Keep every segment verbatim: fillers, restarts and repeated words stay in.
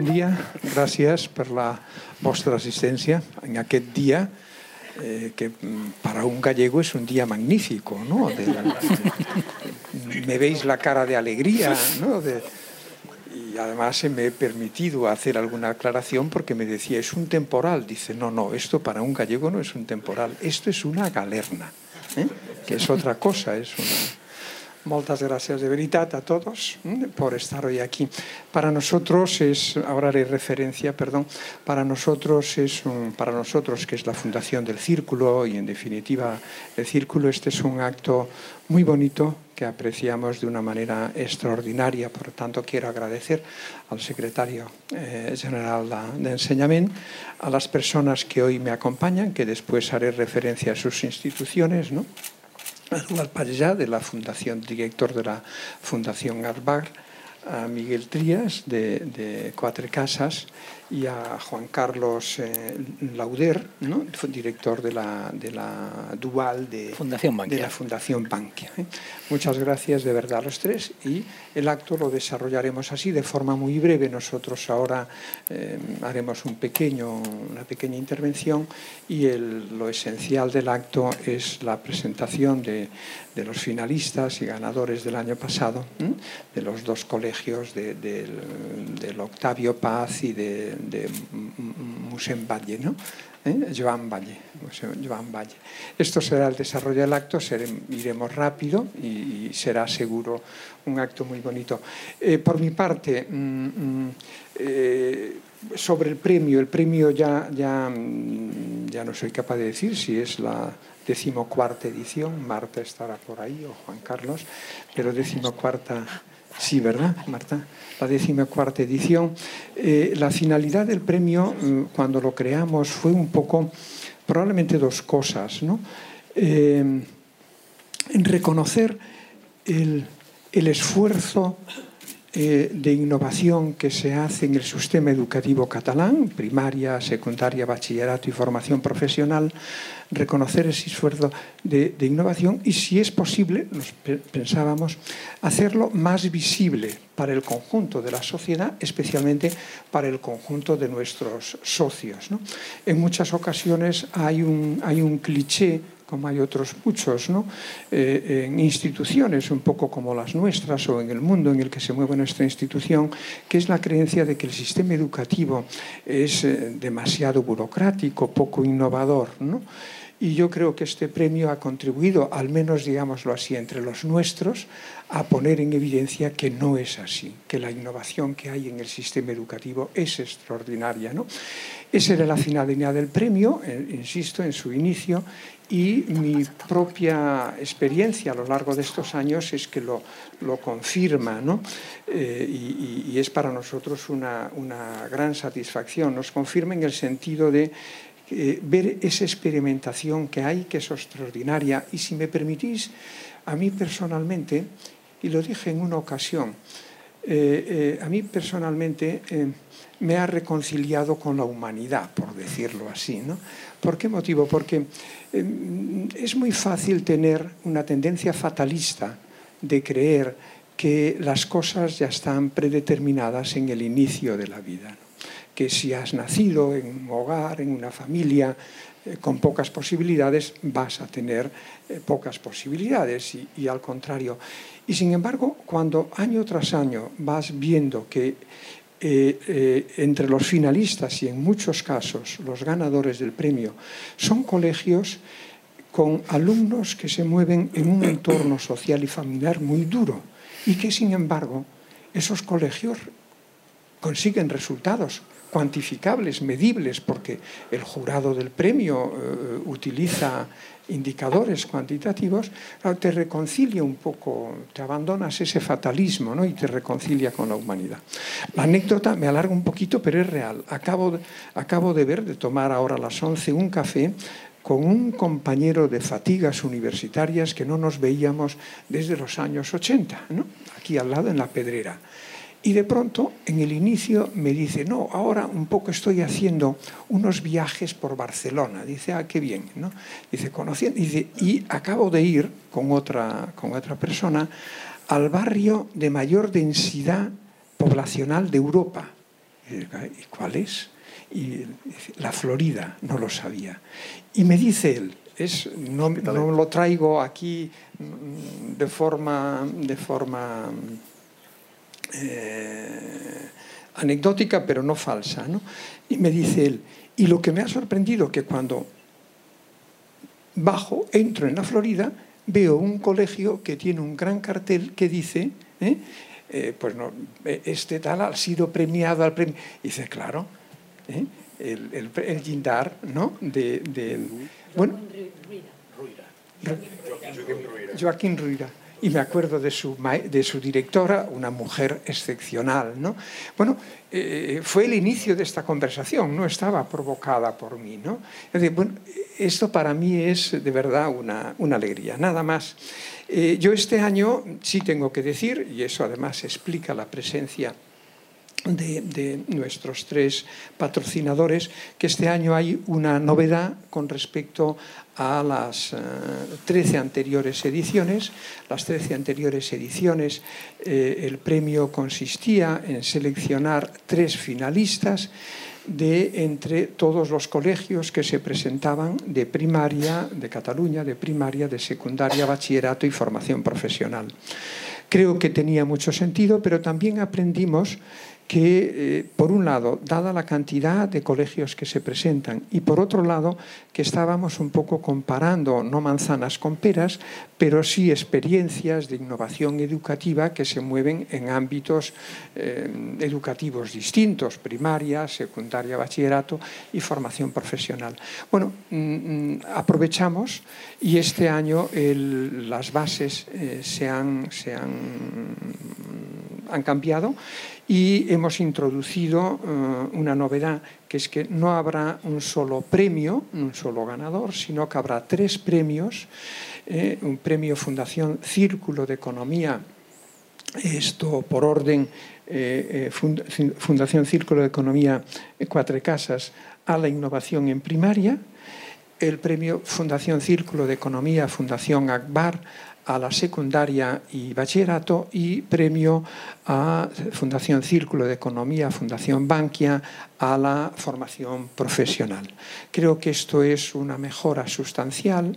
dia, gràcies per la vostra assistència en aquest dia eh, que para un gallego es un día magnífico, ¿no? De la, de, me veis la cara de alegría, ¿no? De, y además me he permitido hacer alguna aclaración porque me decía, es un temporal. Dice, no, no, esto para un gallego no es un temporal, esto es una galerna, ¿eh? Que es otra cosa, es una... Muchas gracias de veritat a todos ¿eh? por estar hoy aquí. Para nosotros es, ahora haré referencia, perdón, para nosotros es un, para nosotros que es la Fundación del Círculo y en definitiva el Círculo, este es un acto muy bonito que apreciamos de una manera extraordinaria. Por lo tanto, quiero agradecer al secretario eh, general de Enseñament, a las personas que hoy me acompañan, que después haré referencia a sus instituciones, ¿no? A Eduard Pallà, de la Fundación, director de la Fundación Arbar, a Miguel Trías, de, de Quatre Casas, y a Juan Carlos eh, Lauder, ¿no? Director de la, de la Dual de, Fundación Bankia. de la Fundación Bankia. ¿eh? Muchas gracias de verdad a los tres y el acto lo desarrollaremos así de forma muy breve. Nosotros ahora eh, haremos un pequeño, una pequeña intervención y el, lo esencial del acto es la presentación de, de los finalistas y ganadores del año pasado, ¿eh? de los dos colegios de, de, del, del Octavio Paz y de de Musén Valle, ¿no? ¿Eh? Joan Valle, Joan Valle. Esto será el desarrollo del acto, seré, iremos rápido y, y será seguro un acto muy bonito. Eh, por mi parte, mmm, eh, sobre el premio, el premio ya, ya, ya no soy capaz de decir si es la decimocuarta edición, Marta estará por ahí o Juan Carlos, pero decimocuarta... Sí, ¿verdad, Marta? La decimocuarta edición. Eh, la finalidad del premio, cuando lo creamos, fue un poco, probablemente dos cosas, ¿no? Eh, en reconocer el, el esfuerzo eh, de innovación que se hace en el sistema educativo catalán, primaria, secundaria, bachillerato y formación profesional, reconocer ese esfuerzo de, de innovación y, si es posible, nos pensábamos, hacerlo más visible para el conjunto de la sociedad, especialmente para el conjunto de nuestros socios, ¿no? En muchas ocasiones hay un, hay un cliché, como hay otros muchos, ¿no? eh, en instituciones un poco como las nuestras o en el mundo en el que se mueve nuestra institución, que es la creencia de que el sistema educativo es eh, demasiado burocrático, poco innovador, ¿no? Y yo creo que este premio ha contribuido, al menos digámoslo así, entre los nuestros, a poner en evidencia que no es así, que la innovación que hay en el sistema educativo es extraordinaria, ¿no? Esa era la finalidad del premio, eh, insisto, en su inicio, y mi propia experiencia a lo largo de estos años es que lo, lo confirma, ¿no? Eh, y, y es para nosotros una, una gran satisfacción. Nos confirma en el sentido de Eh, ver esa experimentación que hay, que es extraordinaria. Y si me permitís, a mí personalmente, y lo dije en una ocasión, eh, eh, a mí personalmente eh, me ha reconciliado con la humanidad, por decirlo así, ¿no? ¿Por qué motivo? Porque eh, es muy fácil tener una tendencia fatalista de creer que las cosas ya están predeterminadas en el inicio de la vida, ¿no? Que si has nacido en un hogar, en una familia eh, con pocas posibilidades, vas a tener eh, pocas posibilidades y, y al contrario. Y sin embargo, cuando año tras año vas viendo que eh, eh, entre los finalistas y en muchos casos los ganadores del premio son colegios con alumnos que se mueven en un entorno social y familiar muy duro y que sin embargo esos colegios consiguen resultados cuantificables, medibles, porque el jurado del premio eh, utiliza indicadores cuantitativos, te reconcilia un poco, te abandonas ese fatalismo, ¿no? Y te reconcilia con la humanidad. La anécdota, me alargo un poquito, pero es real. Acabo de, acabo de ver, de tomar ahora a las once un café con un compañero de fatigas universitarias que no nos veíamos desde los años ochenta, ¿no? Aquí al lado en La Pedrera. Y de pronto, en el inicio, me dice, no, ahora un poco estoy haciendo unos viajes por Barcelona. Dice, ah, qué bien, ¿no? Dice, conociendo, dice, y acabo de ir con otra, con otra persona al barrio de mayor densidad poblacional de Europa. ¿Y cuál es? Y la Florida, no lo sabía. Y me dice él, es, no, no lo traigo aquí de forma, de forma eh, anecdótica, pero no falsa, ¿no? Y me dice él, y lo que me ha sorprendido que cuando bajo, entro en la Florida, veo un colegio que tiene un gran cartel que dice, ¿eh? Eh, pues no, este tal ha sido premiado al premio. Y dice, claro, ¿eh? el, el, el Guindar, ¿no? De, de, bueno, Joaquín Ruyra. Y me acuerdo de su, de su directora, una mujer excepcional, ¿no? Bueno, eh, fue el inicio de esta conversación, no estaba provocada por mí, ¿no? Es decir, bueno, esto para mí es de verdad una, una alegría, nada más. Eh, yo este año sí tengo que decir, y eso además explica la presencia De, de nuestros tres patrocinadores, que este año hay una novedad con respecto a las uh, trece anteriores ediciones. Las trece anteriores ediciones, eh, el premio consistía en seleccionar tres finalistas de entre todos los colegios que se presentaban de primaria, de Cataluña, de primaria, de secundaria, bachillerato y formación profesional. Creo que tenía mucho sentido, pero también aprendimos que, eh, por un lado, dada la cantidad de colegios que se presentan, y por otro lado, que estábamos un poco comparando, no manzanas con peras, pero sí experiencias de innovación educativa que se mueven en ámbitos eh, educativos distintos, primaria, secundaria, bachillerato y formación profesional. Bueno, mmm, aprovechamos y este año el, las bases eh, se han, se han, han cambiado y hemos introducido uh, una novedad, que es que no habrá un solo premio, un solo ganador, sino que habrá tres premios, eh, un premio Fundación Círculo de Economía, esto por orden, eh, fund Fundación Círculo de Economía Cuatro Casas a la innovación en primaria, el premio Fundación Círculo de Economía Fundación Akbar a la secundaria y bachillerato, y premio a Fundación Círculo de Economía, Fundación Bankia, a la formación profesional. Creo que esto es una mejora sustancial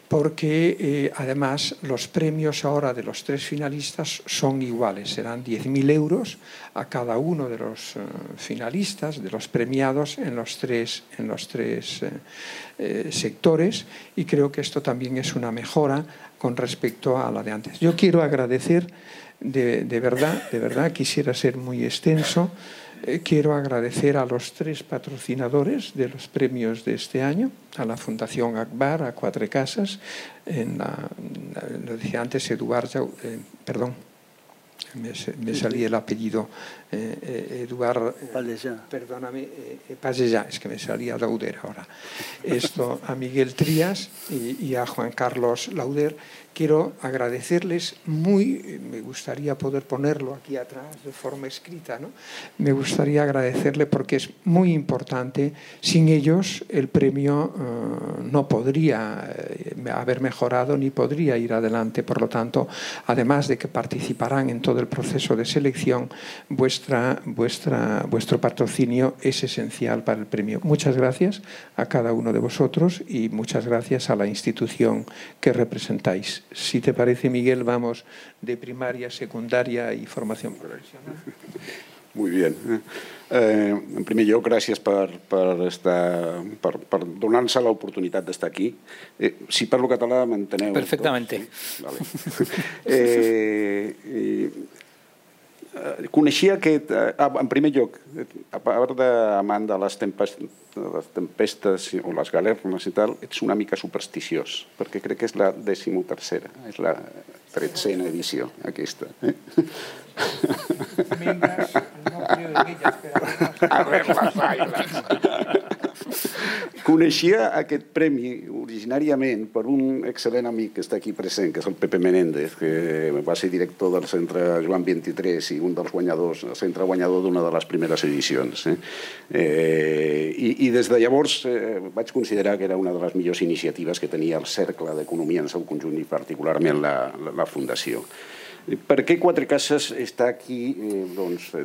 porque eh, además los premios ahora de los tres finalistas son iguales, serán diez mil euros a cada uno de los eh, finalistas, de los premiados en los tres, en los tres eh, eh, sectores, y creo que esto también es una mejora con respecto a la de antes. Yo quiero agradecer, de, de verdad, de verdad, quisiera ser muy extenso, eh, quiero agradecer a los tres patrocinadores de los premios de este año, a la Fundación Akbar, a Cuatro Casas, en la, lo decía antes Eduard, eh, perdón, me, me salía el apellido eh, eh, Eduard, eh, perdóname, eh, Pallellá, es que me salía Lauder ahora. Esto a Miguel Trías y, y a Juan Carlos Lauder. Quiero agradecerles muy, me gustaría poder ponerlo aquí atrás de forma escrita, ¿no? Me gustaría agradecerle porque es muy importante. Sin ellos el premio uh, no podría eh, haber mejorado ni podría ir adelante. Por lo tanto, además de que participarán en todo el proceso de selección, vuestra, vuestra, vuestro patrocinio es esencial para el premio. Muchas gracias a cada uno de vosotros y muchas gracias a la institución que representáis. Si te parece, Miguel, vamos de primaria, secundaria y formación profesional. Muy bien. Eh, en primer lloc, gràcies per, per, estar, per, per donar-nos l'oportunitat d'estar aquí. Eh, si parlo català, m'enteneu? Perfectamente. Sí? Vale. eh, eh, Coneixia aquest... En primer lloc, a part d'amant de les tempestes, les tempestes o les galernes i tal, ets una mica supersticiós, perquè crec que és la decimotercera, és la tretzena edició, aquesta. Eh? Mientras no creo en ellas, pero... A ver les aigües. Coneixia aquest premi originàriament per un excel·lent amic que està aquí present, que és el Pepe Menéndez, que va ser director del Centre Joan vint-i-tres i un dels guanyadors, el centre guanyador d'una de les primeres edicions. Eh? Eh, i, I des de llavors eh, vaig considerar que era una de les millors iniciatives que tenia el Cercle d'Economia en seu conjunt i particularment la, la, la Fundació. Per què Quatre Cases està aquí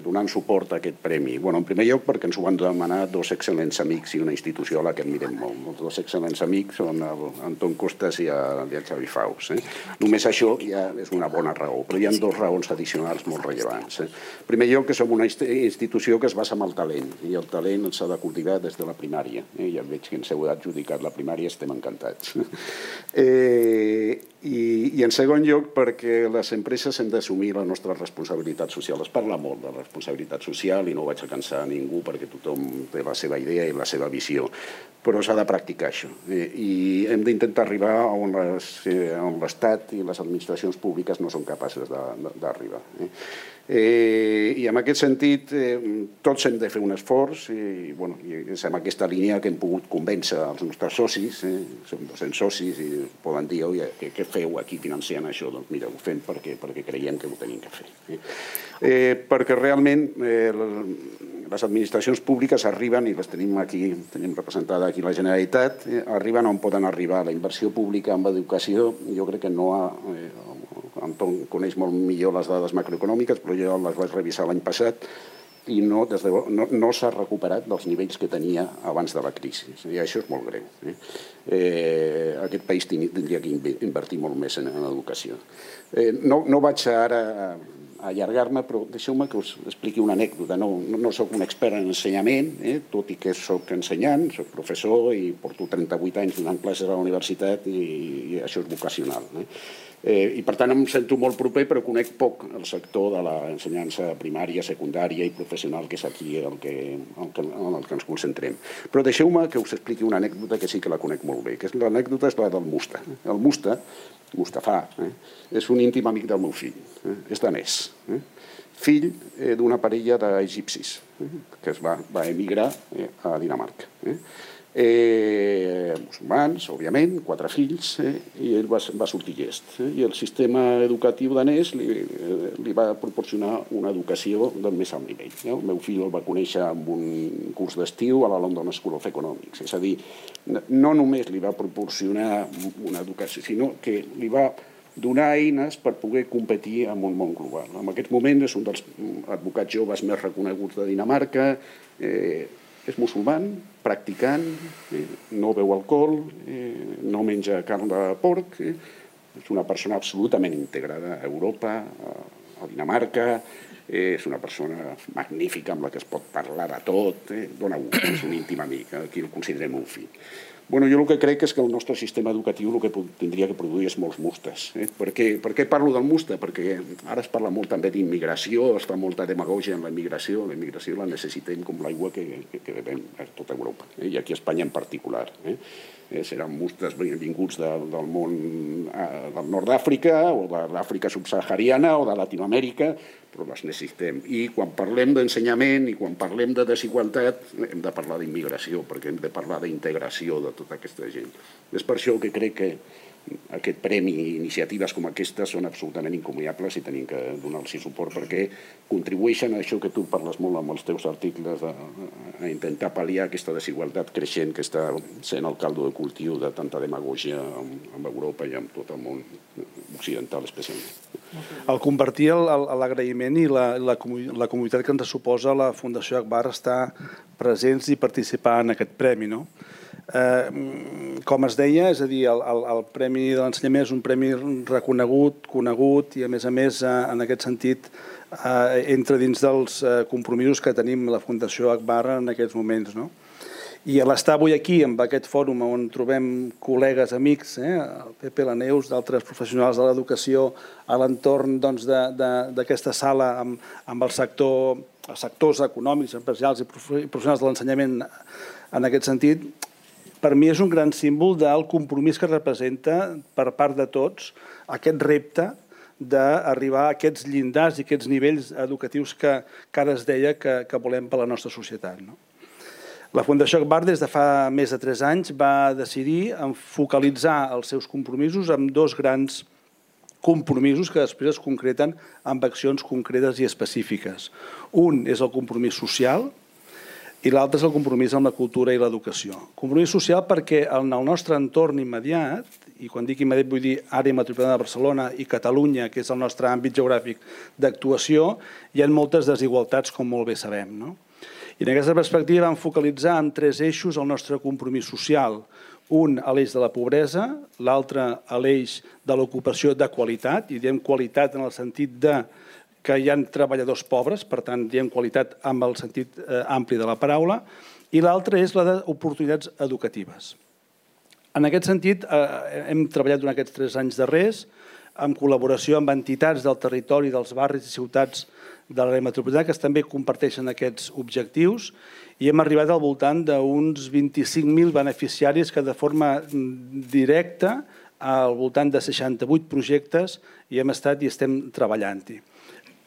donant suport a aquest premi? En primer lloc, perquè ens ho van demanar dos excel·lents amics i una institució a la que admirem molt. Els dos excel·lents amics són Anton Costas i el Xavi Faus. Només això ja és una bona raó, però hi ha dues raons addicionals molt rellevants. En primer lloc, que som una institució que es basa en el talent, i el talent s'ha de cultivar des de la primària. Ja veig que ens heu adjudicat la primària, estem encantats. I en segon lloc, perquè les empreses hem d'assumir la nostra responsabilitat social. Es parla molt de responsabilitat social i no vaig a cansar a ningú perquè tothom té la seva idea i la seva visió, però s'ha de practicar això. I hem d'intentar arribar on l'Estat i les administracions públiques no són capaces d'arribar. I en aquest sentit tots hem de fer un esforç i és en aquesta línia que hem pogut convèncer els nostres socis, som dos-cents socis i poden dir, oi, què feu aquí financiant això? Doncs mira, ho fem perquè creiem que ho tenim que fer. Perquè realment les administracions públiques arriben, i les tenim aquí, tenim representada aquí la Generalitat, arriben on poden arribar. La inversió pública en educació, jo crec que no ha... Anton coneix molt millor les dades macroeconòmiques, però jo les vaig revisar l'any passat i no s'ha recuperat dels nivells que tenia abans de la crisi. I això és molt greu. Aquest país tindria que invertir molt més en educació. No vaig ara a allargar-me, però deixeu-me que us expliqui una anècdota. No soc un expert en ensenyament, tot i que soc ensenyant, soc professor i porto trenta-vuit anys donant classes a la universitat i això és vocacional. I per tant em sento molt proper, però conec poc el sector de l'ensenyança primària, secundària i professional, que és aquí en el que ens concentrem. Però deixeu-me que us expliqui una anècdota que sí que la conec molt bé, que l'anècdota és la del Musta. El Musta, Mustafa, és un íntim amic del meu fill, és danès, fill d'una parella d'egipcis que es va emigrar a Dinamarca. Musulmans, òbviament, quatre fills, i ell va sortir llest. I el sistema educatiu danès li va proporcionar una educació del més alt nivell. El meu fill el va conèixer en un curs d'estiu a la London School of Economics. És a dir, no només li va proporcionar una educació, sinó que li va donar eines per poder competir en un món global. En aquest moment és un dels advocats joves més reconeguts de Dinamarca, és musulman, practicant, no beu alcohol, no menja carn de porc, és una persona absolutament integrada a Europa, a Dinamarca, és una persona magnífica amb la que es pot parlar de tot, dona gust, és un íntim amic, aquí el considerem un fill. Jo el que crec és que el nostre sistema educatiu el que tindria que produir és molts mustes. Per què parlo del musta? Perquè ara es parla molt també d'immigració, es fa molta demagògia en la immigració, la immigració la necessitem com l'aigua que bevem a tota Europa, i aquí a Espanya en particular. Seran mustes vinguts del món del nord d'Àfrica o de l'Àfrica subsahariana o de Latinoamèrica, però les necessitem. I quan parlem d'ensenyament i quan parlem de desigualtat hem de parlar d'immigració, perquè hem de parlar d'integració de tota aquesta gent. És per això que crec que aquest premi i iniciatives com aquestes són absolutament incomiables i tenim que donar-los suport perquè contribueixen a això que tu parles molt amb els teus articles, a intentar pal·liar aquesta desigualtat creixent que està sent el caldo de cultiu de tanta demagògia amb Europa i amb tot el món occidental especialment. Al compartir l'agraïment i la comunitat que ens suposa la Fundació Agbar estar presents i participar en aquest premi, no? Com es deia, és a dir, el Premi de l'Ensenyament és un premi reconegut, conegut i, a més a més, en aquest sentit, entra dins dels compromisos que tenim la Fundació Agbar en aquests moments. I a l'estar avui aquí, en aquest fòrum on trobem col·legues, amics, el Pepe, la Neus, d'altres professionals de l'educació, a l'entorn d'aquesta sala amb els sectors econòmics, empresarials i professionals de l'ensenyament en aquest sentit, per mi és un gran símbol del compromís que representa per part de tots aquest repte d'arribar a aquests llindars i aquests nivells educatius que ara es deia que volem per a la nostra societat. La Fundació Agbar des de fa més de tres anys va decidir focalitzar els seus compromisos amb dos grans compromisos que després es concreten amb accions concretes i específiques. Un és el compromís social, i l'altre és el compromís amb la cultura i l'educació. Compromís social perquè en el nostre entorn immediat, i quan dic immediat vull dir àrea metropolitana de Barcelona i Catalunya, que és el nostre àmbit geogràfic d'actuació, hi ha moltes desigualtats, com molt bé sabem, no? I en aquesta perspectiva vam focalitzar en tres eixos el nostre compromís social. Un a l'eix de la pobresa, l'altre a l'eix de l'ocupació de qualitat, i diem qualitat en el sentit de que hi ha treballadors pobres, per tant, diem qualitat amb el sentit eh, ampli de la paraula, i l'altre és la d'oportunitats educatives. En aquest sentit, eh, hem treballat durant aquests tres anys darrers en col·laboració amb entitats del territori, dels barris i ciutats de l'àrea metropolitana que també comparteixen aquests objectius i hem arribat al voltant d'uns vint-i-cinc mil beneficiaris que de forma directa al voltant de seixanta-vuit projectes hi hem estat i estem treballant-hi.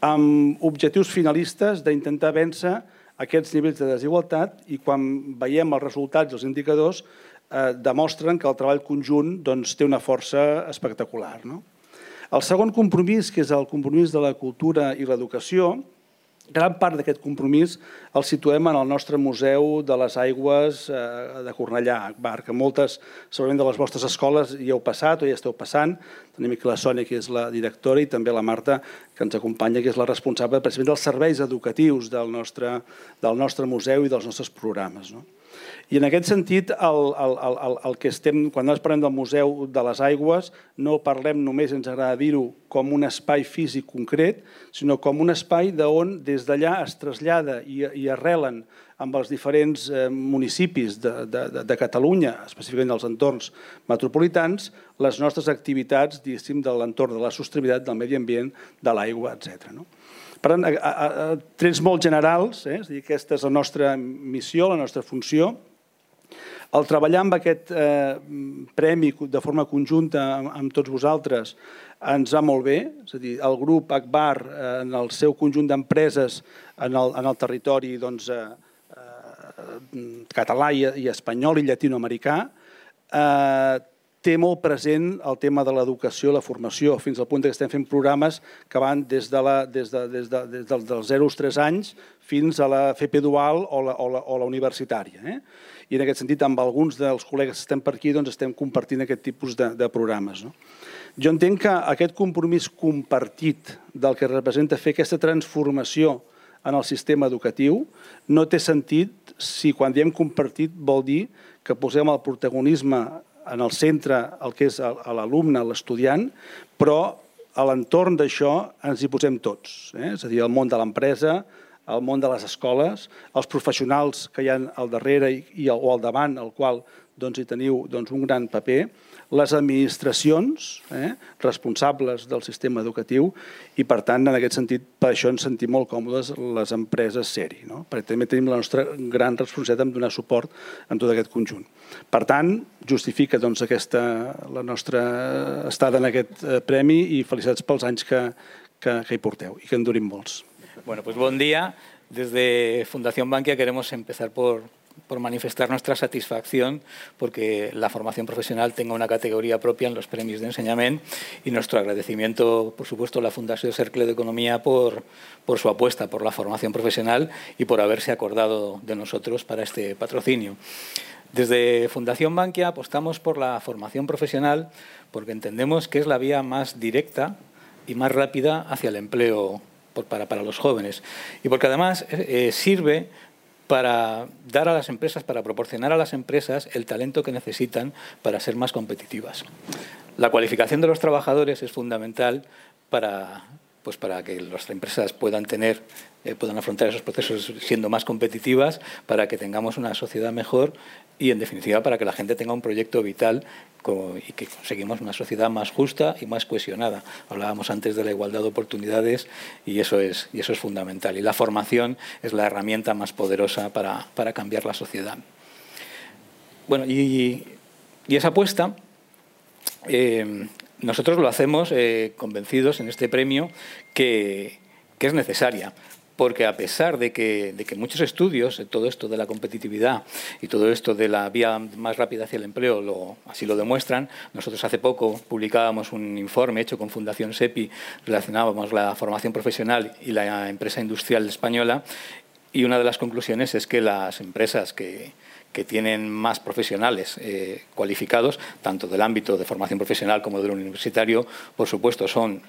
Amb objectius finalistes d'intentar vèncer aquests nivells de desigualtat i quan veiem els resultats i els indicadors eh, demostren que el treball conjunt doncs, té una força espectacular, no? El segon compromís, que és el compromís de la cultura i l'educació, gran part d'aquest compromís el situem en el nostre Museu de les Aigües de Cornellà, Agbar, que moltes, segurament de les vostres escoles hi heu passat o hi esteu passant. Tenim aquí la Sònia, que és la directora, i també la Marta, que ens acompanya, que és la responsable precisament dels serveis educatius del nostre, del nostre museu i dels nostres programes, no? I en aquest sentit, el, el, el, el que estem, quan nosaltres parlem del Museu de les Aigües, no parlem només, ens agrada dir-ho, com un espai físic concret, sinó com un espai d'on des d'allà es trasllada i, i arrelen amb els diferents eh, municipis de, de, de Catalunya, específicament dels entorns metropolitans, les nostres activitats, diguéssim, de l'entorn de la sostenibilitat, del medi ambient, de l'aigua, etcètera, no? Per tant, a, a, a, trets molt generals, eh? És a dir, aquesta és la nostra missió, la nostra funció. El treballar amb aquest eh, premi de forma conjunta amb, amb tots vosaltres ens va molt bé, és a dir, el grup Agbar eh, en el seu conjunt d'empreses en, el, en el territori doncs, eh, eh, català i, i espanyol i llatinoamericà eh, té molt present el tema de l'educació i la formació, fins al punt que estem fent programes que van des, de la, des, de, des, de, des dels, dels zero als tres anys fins a la F P dual o la, o la, o la universitària. Eh? I en aquest sentit, amb alguns dels col·legues que estem per aquí, doncs estem compartint aquest tipus de, de programes. No? Jo entenc que aquest compromís compartit del que representa fer aquesta transformació en el sistema educatiu no té sentit si quan diem compartit vol dir que posem el protagonisme en el centre el que és l'alumne, l'estudiant, però a l'entorn d'això ens hi posem tots. Eh? És a dir, el món de l'empresa, el món de les escoles, els professionals que hi ha al darrere i, i, o al davant, al qual doncs, hi teniu doncs, un gran paper, les administracions eh, responsables del sistema educatiu i, per tant, en aquest sentit, per això ens sentim molt còmodes les empreses ser-hi, no? Perquè també tenim la nostra gran responsabilitat en donar suport en tot aquest conjunt. Per tant, justifica doncs, aquesta, la nostra estada en aquest premi i felicitats pels anys que, que, que hi porteu i que en durin molts. Bueno, pues buen día. Desde Fundación Bankia queremos empezar por... por manifestar nuestra satisfacción porque la formación profesional tenga una categoría propia en los premios de enseñamiento y nuestro agradecimiento, por supuesto, a la Fundación Cercle d'Economía por, por su apuesta por la formación profesional y por haberse acordado de nosotros para este patrocinio. Desde Fundación Bankia apostamos por la formación profesional porque entendemos que es la vía más directa y más rápida hacia el empleo por, para, para los jóvenes y porque además eh, sirve para dar a las empresas, para proporcionar a las empresas el talento que necesitan para ser más competitivas. La cualificación de los trabajadores es fundamental para, pues para que las empresas puedan tener, eh, puedan afrontar esos procesos siendo más competitivas, para que tengamos una sociedad mejor y, en definitiva, para que la gente tenga un proyecto vital y que conseguimos una sociedad más justa y más cohesionada. Hablábamos antes de la igualdad de oportunidades y eso es, y eso es fundamental. Y la formación es la herramienta más poderosa para, para cambiar la sociedad. Bueno, y, y esa apuesta eh, nosotros lo hacemos eh, convencidos en este premio que, que es necesaria. Porque a pesar de que, de que muchos estudios, todo esto de la competitividad y todo esto de la vía más rápida hacia el empleo lo, así lo demuestran, nosotros hace poco publicábamos un informe hecho con Fundación SEPI, relacionábamos la formación profesional y la empresa industrial española Y una de las conclusiones es que las empresas que, que tienen más profesionales eh, cualificados, tanto del ámbito de formación profesional como del universitario, por supuesto, son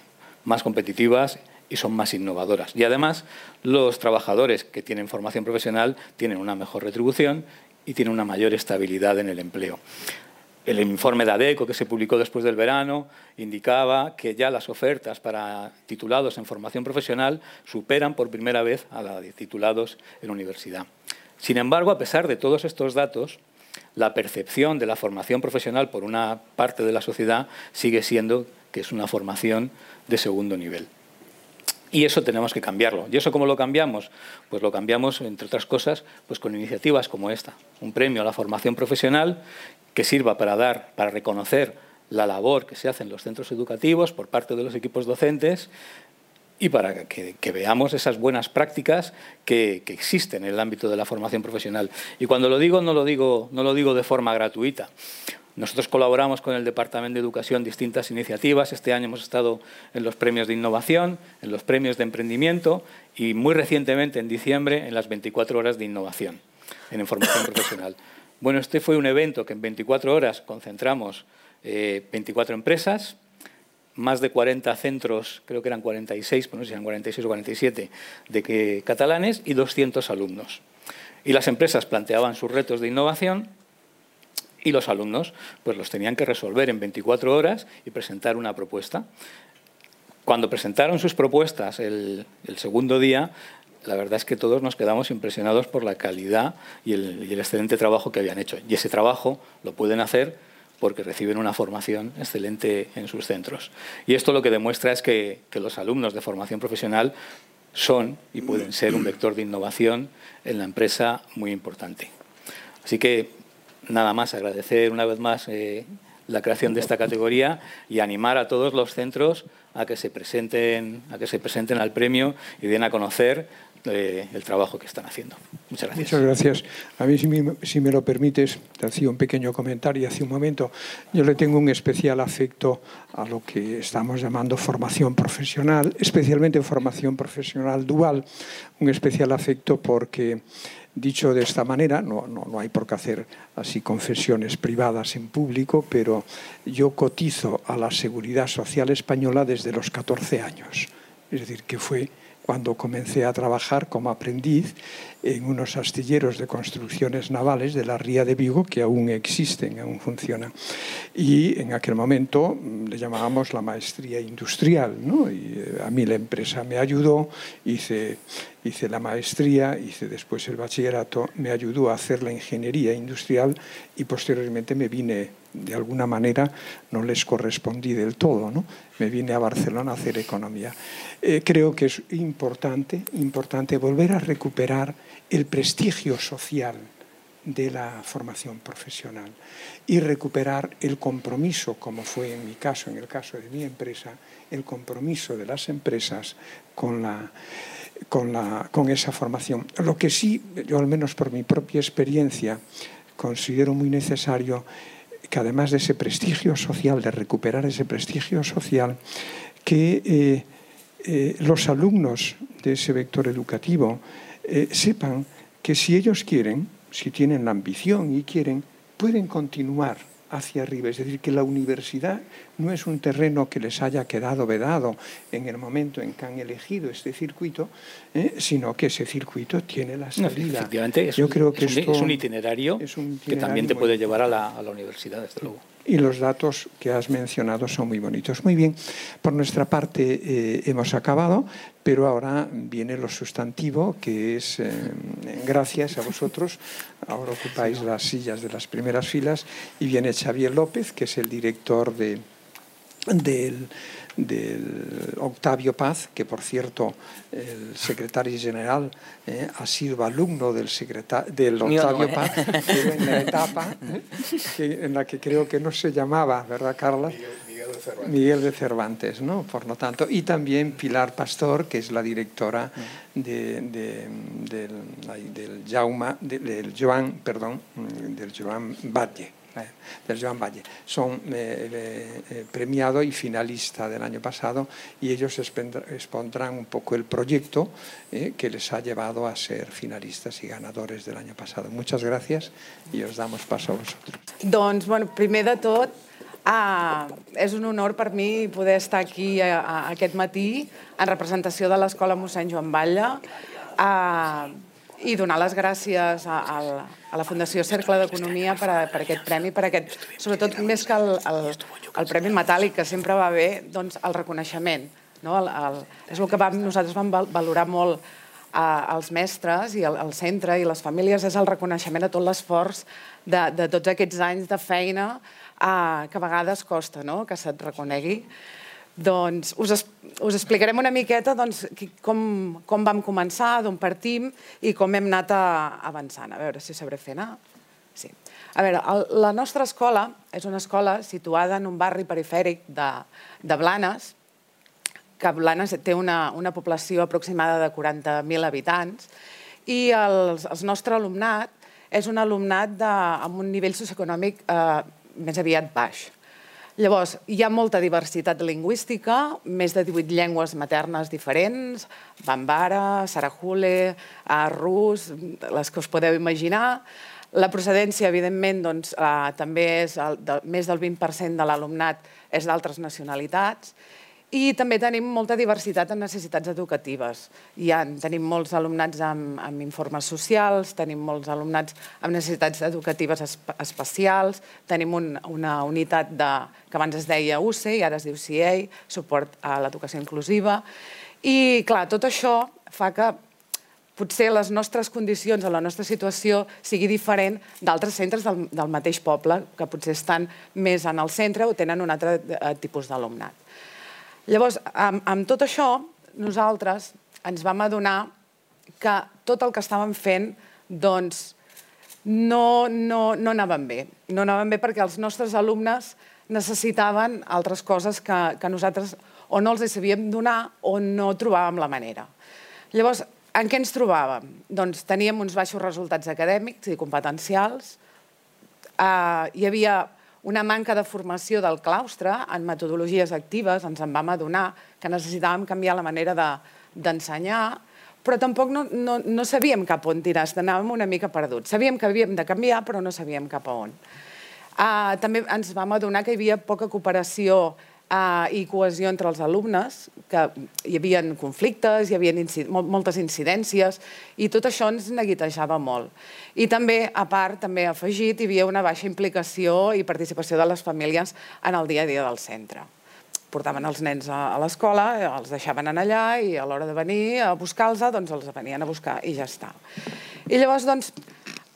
más competitivas y son más innovadoras. Y además, los trabajadores que tienen formación profesional tienen una mejor retribución y tienen una mayor estabilidad en el empleo. El informe de ADECO, que se publicó después del verano, indicaba que ya las ofertas para titulados en formación profesional superan por primera vez a las de titulados en universidad. Sin embargo, a pesar de todos estos datos, la percepción de la formación profesional por una parte de la sociedad sigue siendo que es una formación de segundo nivel. Y eso tenemos que cambiarlo. ¿Y eso cómo lo cambiamos? Pues lo cambiamos, entre otras cosas, pues con iniciativas como esta. Un premio a la formación profesional que sirva para dar, para reconocer la labor que se hace en los centros educativos por parte de los equipos docentes y para que, que veamos esas buenas prácticas que, que existen en el ámbito de la formación profesional. Y cuando lo digo, no lo digo, no lo digo de forma gratuita. Nosotros colaboramos con el Departamento de Educación en distintas iniciativas. Este año hemos estado en los premios de innovación, en los premios de emprendimiento y muy recientemente, en diciembre, en las veinticuatro horas de innovación en formación profesional. Bueno, este fue un evento que en veinticuatro horas concentramos eh, veinticuatro empresas, más de cuarenta centros, creo que eran cuarenta y seis, pues no sé si eran cuarenta y seis o cuarenta y siete, de que, catalanes y doscientos alumnos. Y las empresas planteaban sus retos de innovación y los alumnos pues los tenían que resolver en veinticuatro horas y presentar una propuesta. Cuando presentaron sus propuestas el, el segundo día, la verdad es que todos nos quedamos impresionados por la calidad y el, y el excelente trabajo que habían hecho. Y ese trabajo lo pueden hacer porque reciben una formación excelente en sus centros. Y esto lo que demuestra es que, que los alumnos de formación profesional son y pueden ser un vector de innovación en la empresa muy importante. Así que nada más, agradecer una vez más eh, la creación de esta categoría y animar a todos los centros a que se presenten, a que se presenten al premio y den a conocer eh, el trabajo que están haciendo. Muchas gracias. Muchas gracias. A mí, si me, si me lo permites, te hacía un pequeño comentario hace un momento. Yo le tengo un especial afecto a lo que estamos llamando formación profesional, especialmente formación profesional dual, un especial afecto porque, dicho de esta manera, no, no, no hay por qué hacer así confesiones privadas en público, pero yo cotizo a la Seguridad Social Española desde los catorce años. Es decir, que fue cuando comencé a trabajar como aprendiz en unos astilleros de construcciones navales de la Ría de Vigo, que aún existen, aún funcionan. Y en aquel momento le llamábamos la maestría industrial, ¿no? Y a mí la empresa me ayudó, hice, hice la maestría, hice después el bachillerato, me ayudó a hacer la ingeniería industrial y posteriormente me vine, de alguna manera, no les correspondí del todo, ¿no? Me vine a Barcelona a hacer economía. Eh, creo que es importante, importante volver a recuperar el prestigio social de la formación profesional y recuperar el compromiso, como fue en mi caso, en el caso de mi empresa, el compromiso de las empresas con, la, con, la, con esa formación. Lo que sí, yo al menos por mi propia experiencia, considero muy necesario que además de ese prestigio social, de recuperar ese prestigio social, que eh, eh, los alumnos de ese vector educativo eh, sepan que si ellos quieren, si tienen la ambición y quieren, pueden continuar hacia arriba. Es decir, que la universidad no es un terreno que les haya quedado vedado en el momento en que han elegido este circuito, eh, sino que ese circuito tiene la salida. No, efectivamente, es, Yo un, creo que es, un, esto es un itinerario, es un itinerario que también te muy puede llevar a la, a la universidad, desde luego. Y los datos que has mencionado son muy bonitos. Muy bien, por nuestra parte eh, hemos acabado, pero ahora viene lo sustantivo, que es, eh, gracias a vosotros, ahora ocupáis las sillas de las primeras filas, y viene Xavier López, que es el director de, del, del Octavio Paz, que por cierto el secretario general eh, ha sido alumno del, del Octavio no, ¿eh? Paz, pero en la etapa eh, que, en la que creo que no se llamaba, ¿verdad, Carla? Miguel, Miguel de Cervantes. Miguel de Cervantes, ¿no? Por lo tanto, y también Pilar Pastor, que es la directora de, de, del, del Jaume, de, del Joan, perdón, del Joan Batlle. del Joan Valle. Son eh, eh, premiado y finalista del año pasado y ellos expondrán un poco el proyecto eh, que les ha llevado a ser finalistas y ganadores del año pasado. Muchas gracias y os damos paso a vosotros. Doncs, bueno, primer de tot, ah, és un honor per mi poder estar aquí a, a, aquest matí en representació de l'Escola mossèn Joan Batlle ah, i donar les gràcies a, a, a la Fundació Cercle d'Economia per, a, per aquest premi, per aquest, sobretot més que el, el, el Premi Metàl·lic, que sempre va bé, doncs el reconeixement. No? El, el, és el que vam, nosaltres vam valorar molt a, als mestres i al, al centre i les famílies, és el reconeixement a tot l'esforç de, de tots aquests anys de feina a, que a vegades costa, no? Que se't reconegui. Doncs us, us explicarem una miqueta doncs, com, com vam començar, d'on partim i com hem anat a, avançant. A veure si sabré fer anar. Sí. A veure, el, la nostra escola és una escola situada en un barri perifèric de, de Blanes, que Blanes té una, una població aproximada de quaranta mil habitants i el, el nostre alumnat és un alumnat de, amb un nivell socioeconòmic eh, més aviat baix. Llavors, hi ha molta diversitat lingüística, més de divuit llengües maternes diferents, bambara, sarahule, rus, les que us podeu imaginar. La procedència, evidentment, doncs, eh, també és el, de, més del vint per cent de l'alumnat és d'altres nacionalitats. I també tenim molta diversitat en necessitats educatives. Hi ha, tenim molts alumnats amb, amb informes socials, tenim molts alumnats amb necessitats educatives espe especials, tenim un, una unitat de, que abans es deia U C E i ara es diu C A, suport a l'educació inclusiva. I, clar, tot això fa que potser les nostres condicions o la nostra situació sigui diferent d'altres centres del, del mateix poble, que potser estan més en el centre o tenen un altre tipus d'alumnat. Llavors, amb, amb tot això, nosaltres ens vam adonar que tot el que estàvem fent doncs, no, no, no anaven bé. No anaven bé perquè els nostres alumnes necessitaven altres coses que, que nosaltres o no els sabíem donar o no trobàvem la manera. Llavors, en què ens trobàvem? Doncs teníem uns baixos resultats acadèmics i competencials, eh, hi havia una manca de formació del claustre en metodologies actives, ens en vam adonar que necessitàvem canviar la manera d'ensenyar, però tampoc no, no, no sabíem cap on tirar, anàvem una mica perduts. Sabíem que havíem de canviar, però no sabíem cap a on. Uh, també ens vam adonar que hi havia poca cooperació uh, i cohesió entre els alumnes, que hi havia conflictes, hi havia incid moltes incidències, i tot això ens neguitejava molt. I també, a part, també afegit, hi havia una baixa implicació i participació de les famílies en el dia a dia del centre. Portaven els nens a l'escola, els deixaven anar allà i a l'hora de venir a buscar-los, doncs els venien a buscar i ja està. I llavors, doncs,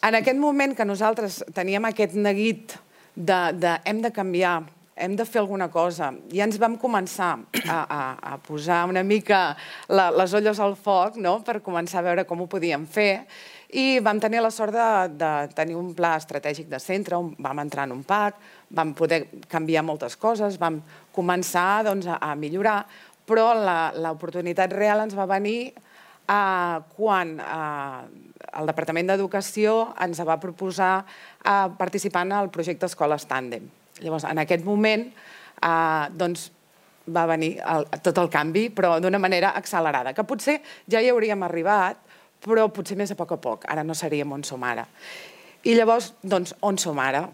en aquest moment que nosaltres teníem aquest neguit de, de hem de canviar, hem de fer alguna cosa, i ens vam començar a, a, a posar una mica la, les olles al foc, no?, per començar a veure com ho podíem fer, i vam tenir la sort de, de tenir un pla estratègic de centre, on vam entrar en un P A C, vam poder canviar moltes coses, vam començar doncs, a, a millorar, però l'oportunitat real ens va venir eh, quan eh, el Departament d'Educació ens va proposar eh, participar en el projecte Escoles Tàndem. Llavors, en aquest moment, eh, doncs, va venir el, tot el canvi, però d'una manera accelerada, que potser ja hi hauríem arribat, però potser més a poc a poc. Ara no seríem on som ara. I llavors, doncs, on som ara?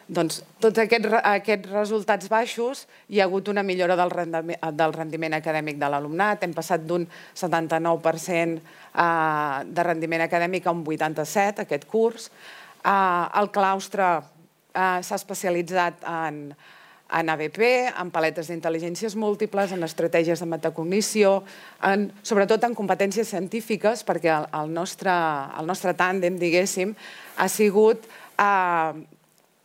Doncs, tots aquests, aquests resultats baixos, hi ha hagut una millora del rendiment, del rendiment acadèmic de l'alumnat. Hem passat d'un setanta-nou per cent eh, de rendiment acadèmic a un vuitanta-set, aquest curs. Eh, el claustre Uh, s'ha especialitzat en, en A B P, en paletes d'intel·ligències múltiples, en estratègies de metacognició, en, sobretot en competències científiques, perquè el, el, nostre, el nostre tàndem, diguéssim, ha sigut uh,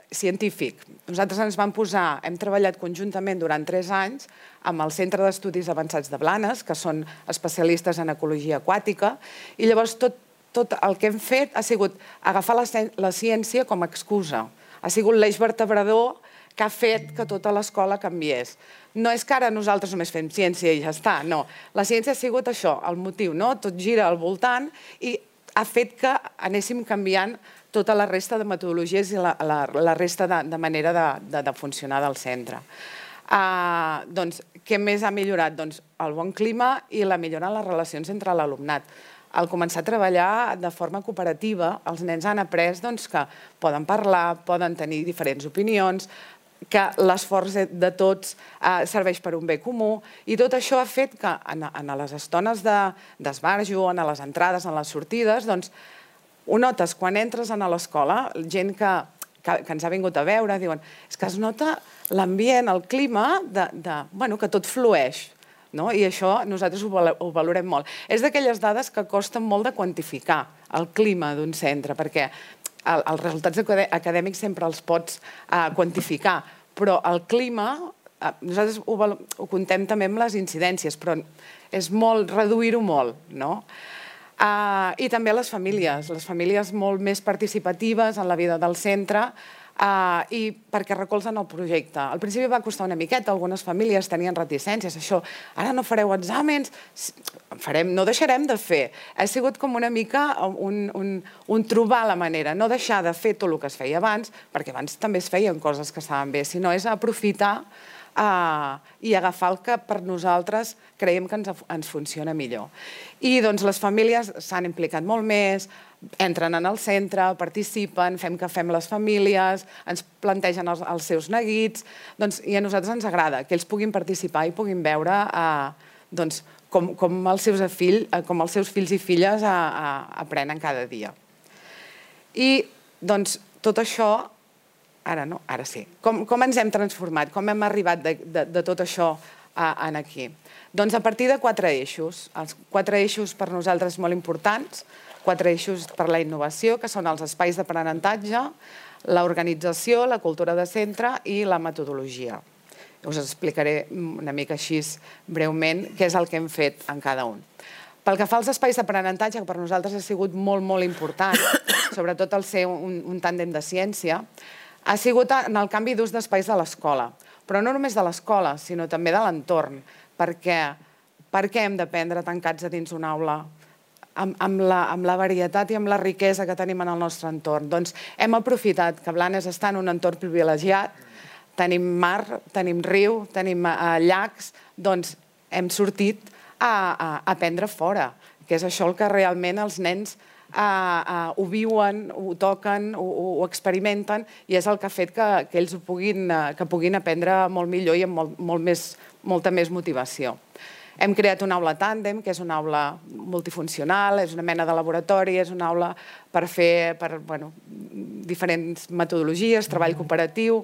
científic. Nosaltres ens vam posar, hem treballat conjuntament durant tres anys amb el Centre d'Estudis Avançats de Blanes, que són especialistes en ecologia aquàtica, i llavors tot, tot el que hem fet ha sigut agafar la, la ciència com a excusa. Ha sigut l'eix vertebrador que ha fet que tota l'escola canviés. No és que ara nosaltres només fem ciència i ja està, no. La ciència ha sigut això, el motiu, no? Tot gira al voltant i ha fet que anéssim canviant tota la resta de metodologies i la, la, la resta de, de manera de, de, de funcionar del centre. Uh, doncs, què més ha millorat? Doncs el bon clima i la millora en les relacions entre l'alumnat. Al començar a treballar de forma cooperativa, els nens han après doncs, que poden parlar, poden tenir diferents opinions, que l'esforç de tots eh, serveix per un bé comú, i tot això ha fet que en, en les estones d'esbarjo, en les entrades, en les sortides, doncs, ho notes quan entres a l'escola, gent que, que, que ens ha vingut a veure, diuen, és que es nota l'ambient, el clima, de, de, bueno, que tot flueix. No? I això nosaltres ho valorem molt. És d'aquelles dades que costen molt de quantificar el clima d'un centre, perquè el, els resultats acadèmics sempre els pots uh, quantificar, però el clima, uh, nosaltres ho, ho contem també amb les incidències, però és molt reduir-ho molt, no? Uh, I també les famílies, les famílies molt més participatives en la vida del centre, Uh, i perquè recolzen el projecte. Al principi va costar una miqueta, algunes famílies tenien reticències, això, ara no fareu exàmens, farem, no deixarem de fer. Ha sigut com una mica un, un, un trobar la manera, no deixar de fer tot el que es feia abans, perquè abans també es feien coses que estaven bé, sinó és aprofitar uh, i agafar el que per nosaltres creiem que ens, ens funciona millor. I doncs les famílies s'han implicat molt més, entren en el centre, participen, fem que fem les famílies, ens plantegen els, els seus neguits, doncs, i a nosaltres ens agrada que ells puguin participar i puguin veure eh, doncs, com, com, els seus fill, eh, com els seus fills i filles eh, eh, aprenen cada dia. I doncs, tot això, ara no, ara sí, com, com ens hem transformat, com hem arribat de, de, de tot això eh, en aquí? Doncs a partir de quatre eixos, els quatre eixos per nosaltres molt importants, quatre eixos per la innovació, que són els espais d'aprenentatge, l'organització, la cultura de centre i la metodologia. Us explicaré una mica així breument què és el que hem fet en cada un. Pel que fa als espais d'aprenentatge, que per nosaltres ha sigut molt, molt important, sobretot el ser un, un tàndem de ciència, ha sigut en el canvi d'ús d'espais de l'escola. Però no només de l'escola, sinó també de l'entorn. Perquè, per què hem d'aprendre tancats a dins una aula? Amb, amb, la, amb la varietat i amb la riquesa que tenim en el nostre entorn. Doncs hem aprofitat que Blanes està en un entorn privilegiat, tenim mar, tenim riu, tenim uh, llacs, doncs hem sortit a, a, a aprendre fora, que és això el que realment els nens uh, uh, ho viuen, ho toquen, ho, ho experimenten, i és el que ha fet que, que ells ho puguin, uh, que puguin aprendre molt millor i amb molt, molt més, molta més motivació. Hem creat una aula tàndem, que és una aula multifuncional, és una mena de laboratori, és una aula per fer per, bueno, diferents metodologies, treball cooperatiu.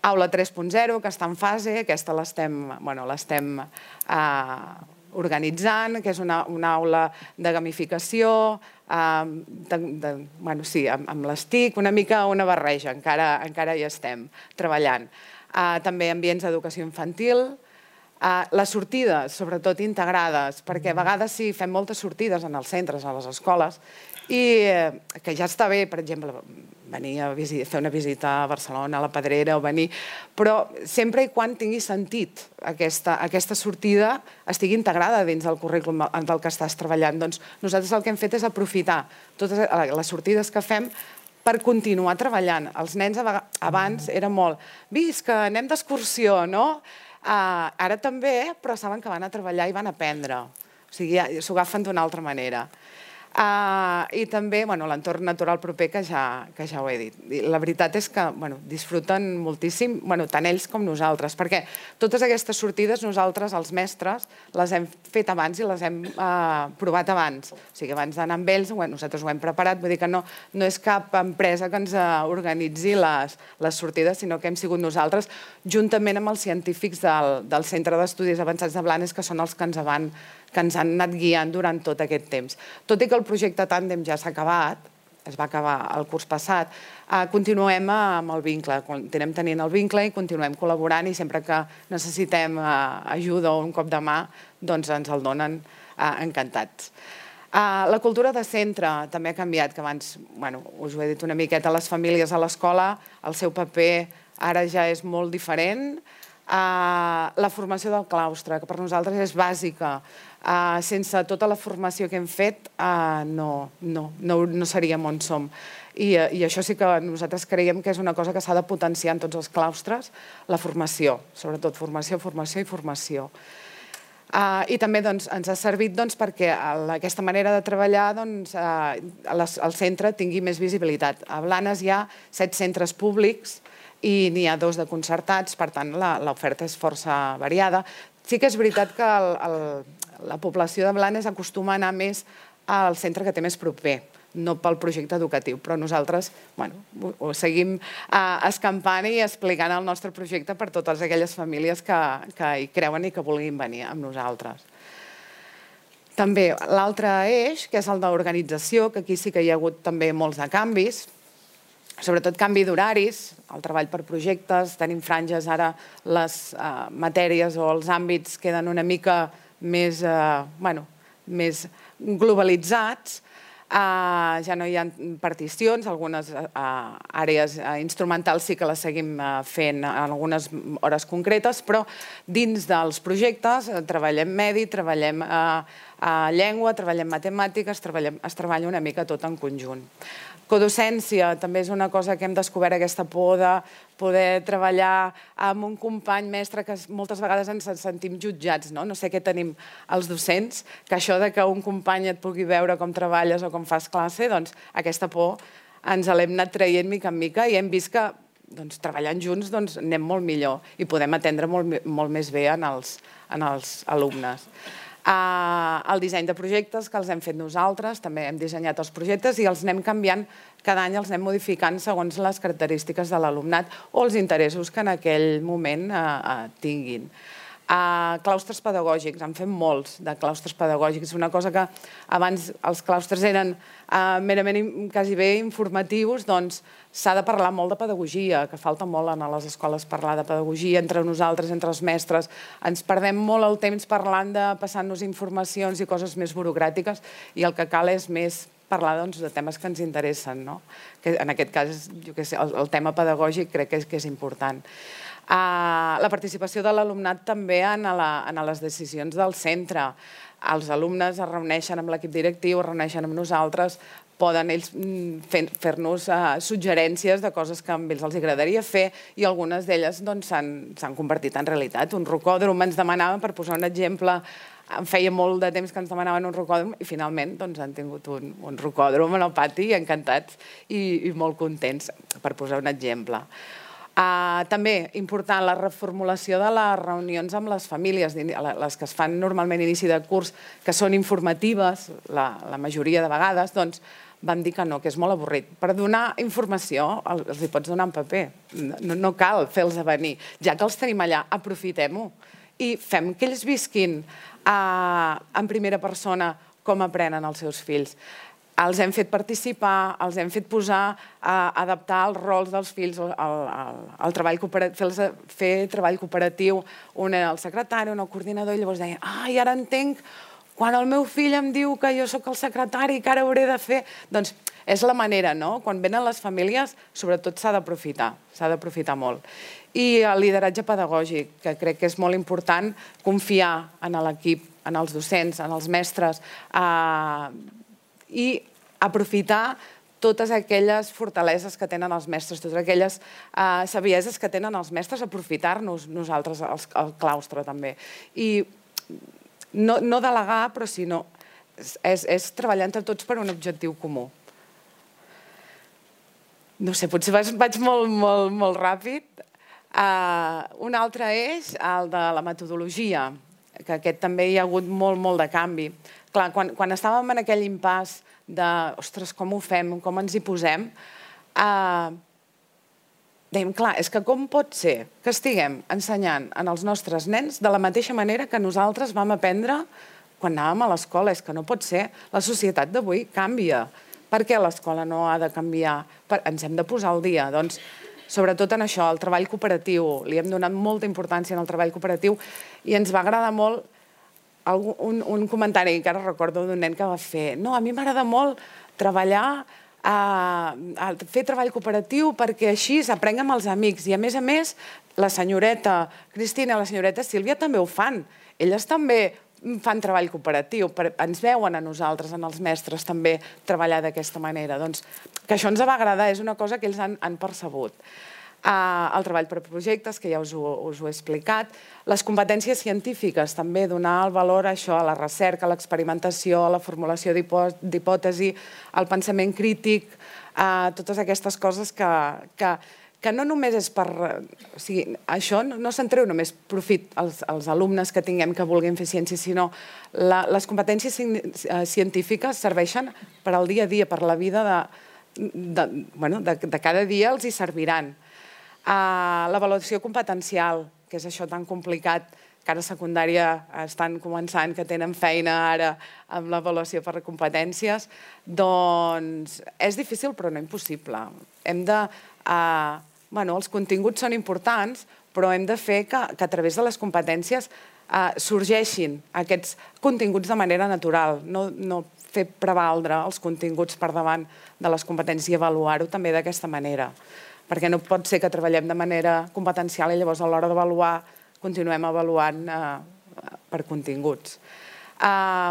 Aula tres punt zero, que està en fase, aquesta l'estem bueno, l'estem eh, organitzant, que és una, una aula de gamificació, eh, de, de, bueno, sí, amb, amb les T I C, una mica una barreja, encara, encara hi estem treballant. Eh, també ambients d'educació infantil, Uh, les sortides, sobretot integrades, perquè a vegades sí, fem moltes sortides en els centres, a les escoles, i uh, que ja està bé, per exemple, venir a fer una visita a Barcelona, a la Pedrera, o venir, però sempre i quan tingui sentit aquesta, aquesta sortida estigui integrada dins del currículum del que estàs treballant. Doncs nosaltres el que hem fet és aprofitar totes les sortides que fem per continuar treballant. Els nens abans era molt, visca, anem d'excursió, no? Uh, ara també, però saben que van a treballar i van a aprendre. O sigui, s'ho agafen d'una altra manera. Uh, I també bueno, l'entorn natural proper, que ja, que ja ho he dit. I la veritat és que bueno, disfruten moltíssim, bueno, tant ells com nosaltres, perquè totes aquestes sortides nosaltres, els mestres, les hem fet abans i les hem uh, provat abans. O sigui, abans d'anar amb ells, bueno, nosaltres ho hem preparat, vull dir que no, no és cap empresa que ens uh, organitzi les, les sortides, sinó que hem sigut nosaltres, juntament amb els científics del, del Centre d'Estudis Avançats de Blanes, que són els que ens van que ens han anat guiant durant tot aquest temps. Tot i que el projecte Tàndem ja s'ha acabat, es va acabar el curs passat, eh, continuem amb el vincle, continuem tenint el vincle i continuem col·laborant, i sempre que necessitem eh, ajuda o un cop de mà, doncs ens el donen eh, encantats. Uh, la cultura de centre també ha canviat, que abans, bueno, us ho he dit una miqueta, les famílies a l'escola, el seu paper ara ja és molt diferent. La formació del claustre, que per nosaltres és bàsica. Sense tota la formació que hem fet no seríem on som. I això sí que nosaltres creiem que és una cosa que s'ha de potenciar en tots els claustres, la formació, sobretot formació, formació i formació. I també ens ha servit perquè aquesta manera de treballar el centre tingui més visibilitat. A Blanes hi ha set centres públics i n'hi ha dos de concertats, per tant l'oferta és força variada. Sí que és veritat que la població de Blanes acostuma a anar més al centre que té més proper, no pel projecte educatiu, però nosaltres ho seguim escampant i explicant el nostre projecte per totes aquelles famílies que hi creuen i que vulguin venir amb nosaltres. També l'altre eix, que és el d'organització, que aquí sí que hi ha hagut també molts de canvis, sobretot canvi d'horaris, el treball per projectes, tenim franges, ara les matèries o els àmbits queden una mica més globalitzats, ja no hi ha particions, algunes àrees instrumentals sí que les seguim fent en algunes hores concretes, però dins dels projectes treballem medi, treballem llengua, treballem matemàtiques, es treballa una mica tot en conjunt. Codocència també és una cosa que hem descobert, aquesta por de poder treballar amb un company mestre que moltes vegades ens sentim jutjats, no sé què tenim els docents, que això que un company et pugui veure com treballes o com fas classe, doncs aquesta por ens l'hem anat traient mica en mica i hem vist que treballant junts anem molt millor i podem atendre molt més bé als alumnes. El disseny de projectes que els hem fet nosaltres, també hem dissenyat els projectes i els anem canviant, cada any els anem modificant segons les característiques de l'alumnat o els interessos que en aquell moment tinguin. Claustres pedagògics, en fem molts de claustres pedagògics, una cosa que abans els claustres eren merament quasi bé informatius, doncs s'ha de parlar molt de pedagogia, que falta molt a les escoles parlar de pedagogia entre nosaltres, entre els mestres. Ens perdem molt el temps parlant de passant-nos informacions i coses més burocràtiques i el que cal és més parlar de temes que ens interessen. En aquest cas, el tema pedagògic crec que és important. La participació de l'alumnat també en les decisions del centre. Els alumnes es reuneixen amb l'equip directiu, es reuneixen amb nosaltres, poden ells fer-nos suggerències de coses que a ells els agradaria fer i algunes d'elles s'han convertit en realitat. Un rocòdrom ens demanaven, per posar un exemple, em feia molt de temps que ens demanaven un rocòdrom i finalment han tingut un rocòdrom en el pati, encantats i molt contents, per posar un exemple. També important la reformulació de les reunions amb les famílies, les que es fan normalment a inici de curs, que són informatives, la majoria de vegades, doncs vam dir que no, que és molt avorrit. Per donar informació els hi pots donar en paper, no cal fer-los venir. Ja que els tenim allà, aprofitem-ho i fem que ells visquin en primera persona com aprenen els seus fills. Els hem fet participar, els hem fet posar, adaptar els rols dels fills, fer treball cooperatiu, un era el secretari, un el coordinador, i llavors deia, ai, ara entenc, quan el meu fill em diu que jo sóc el secretari, que ara hauré de fer... Doncs és la manera, no? Quan venen les famílies, sobretot s'ha d'aprofitar, s'ha d'aprofitar molt. I el lideratge pedagògic, que crec que és molt important confiar en l'equip, en els docents, en els mestres, i aprofitar totes aquelles fortaleses que tenen els mestres, totes aquelles sabieses que tenen els mestres, aprofitar-nos nosaltres, el claustre també. I no delegar, però sinó és treballar entre tots per un objectiu comú. No sé, potser vaig molt ràpid. Un altre eix, el de la metodologia, que aquest també hi ha hagut molt, molt de canvi. Clar, quan estàvem en aquell impàs de, ostres, com ho fem, com ens hi posem, dèiem, clar, és que com pot ser que estiguem ensenyant als nostres nens de la mateixa manera que nosaltres vam aprendre quan anàvem a l'escola? És que no pot ser. La societat d'avui canvia. Per què l'escola no ha de canviar? Ens hem de posar al dia. Doncs, sobretot en això, el treball cooperatiu. Li hem donat molta importància al treball cooperatiu i ens va agradar molt un comentari que ara recordo d'un nen que va fer. No, a mi m'agrada molt treballar a fer treball cooperatiu perquè així s'aprenguem amb els amics. I a més a més, la senyoreta Cristina i la senyoreta Sílvia també ho fan. Elles també fan treball cooperatiu, ens veuen a nosaltres, en els mestres, també treballar d'aquesta manera. Doncs que això ens va agradar, és una cosa que ells han percebut. El treball per projectes, que ja us ho he explicat, les competències científiques, també donar el valor a això, a la recerca, a l'experimentació, a la formulació d'hipòtesi, al pensament crític, a totes aquestes coses que no només és per... O sigui, això no se'n treu només profit als alumnes que tinguem que vulguin fer ciència, sinó les competències científiques serveixen per al dia a dia, per la vida de cada dia, els hi serviran. L'avaluació competencial, que és això tan complicat, que ara a secundària estan començant, que tenen feina ara amb l'avaluació per competències, doncs és difícil però no impossible. Hem de... Bueno, els continguts són importants, però hem de fer que a través de les competències sorgeixin aquests continguts de manera natural, no fer prevaldre els continguts per davant de les competències i avaluar-ho també d'aquesta manera. Perquè no pot ser que treballem de manera competencial i llavors a l'hora d'avaluar continuem avaluant per continguts.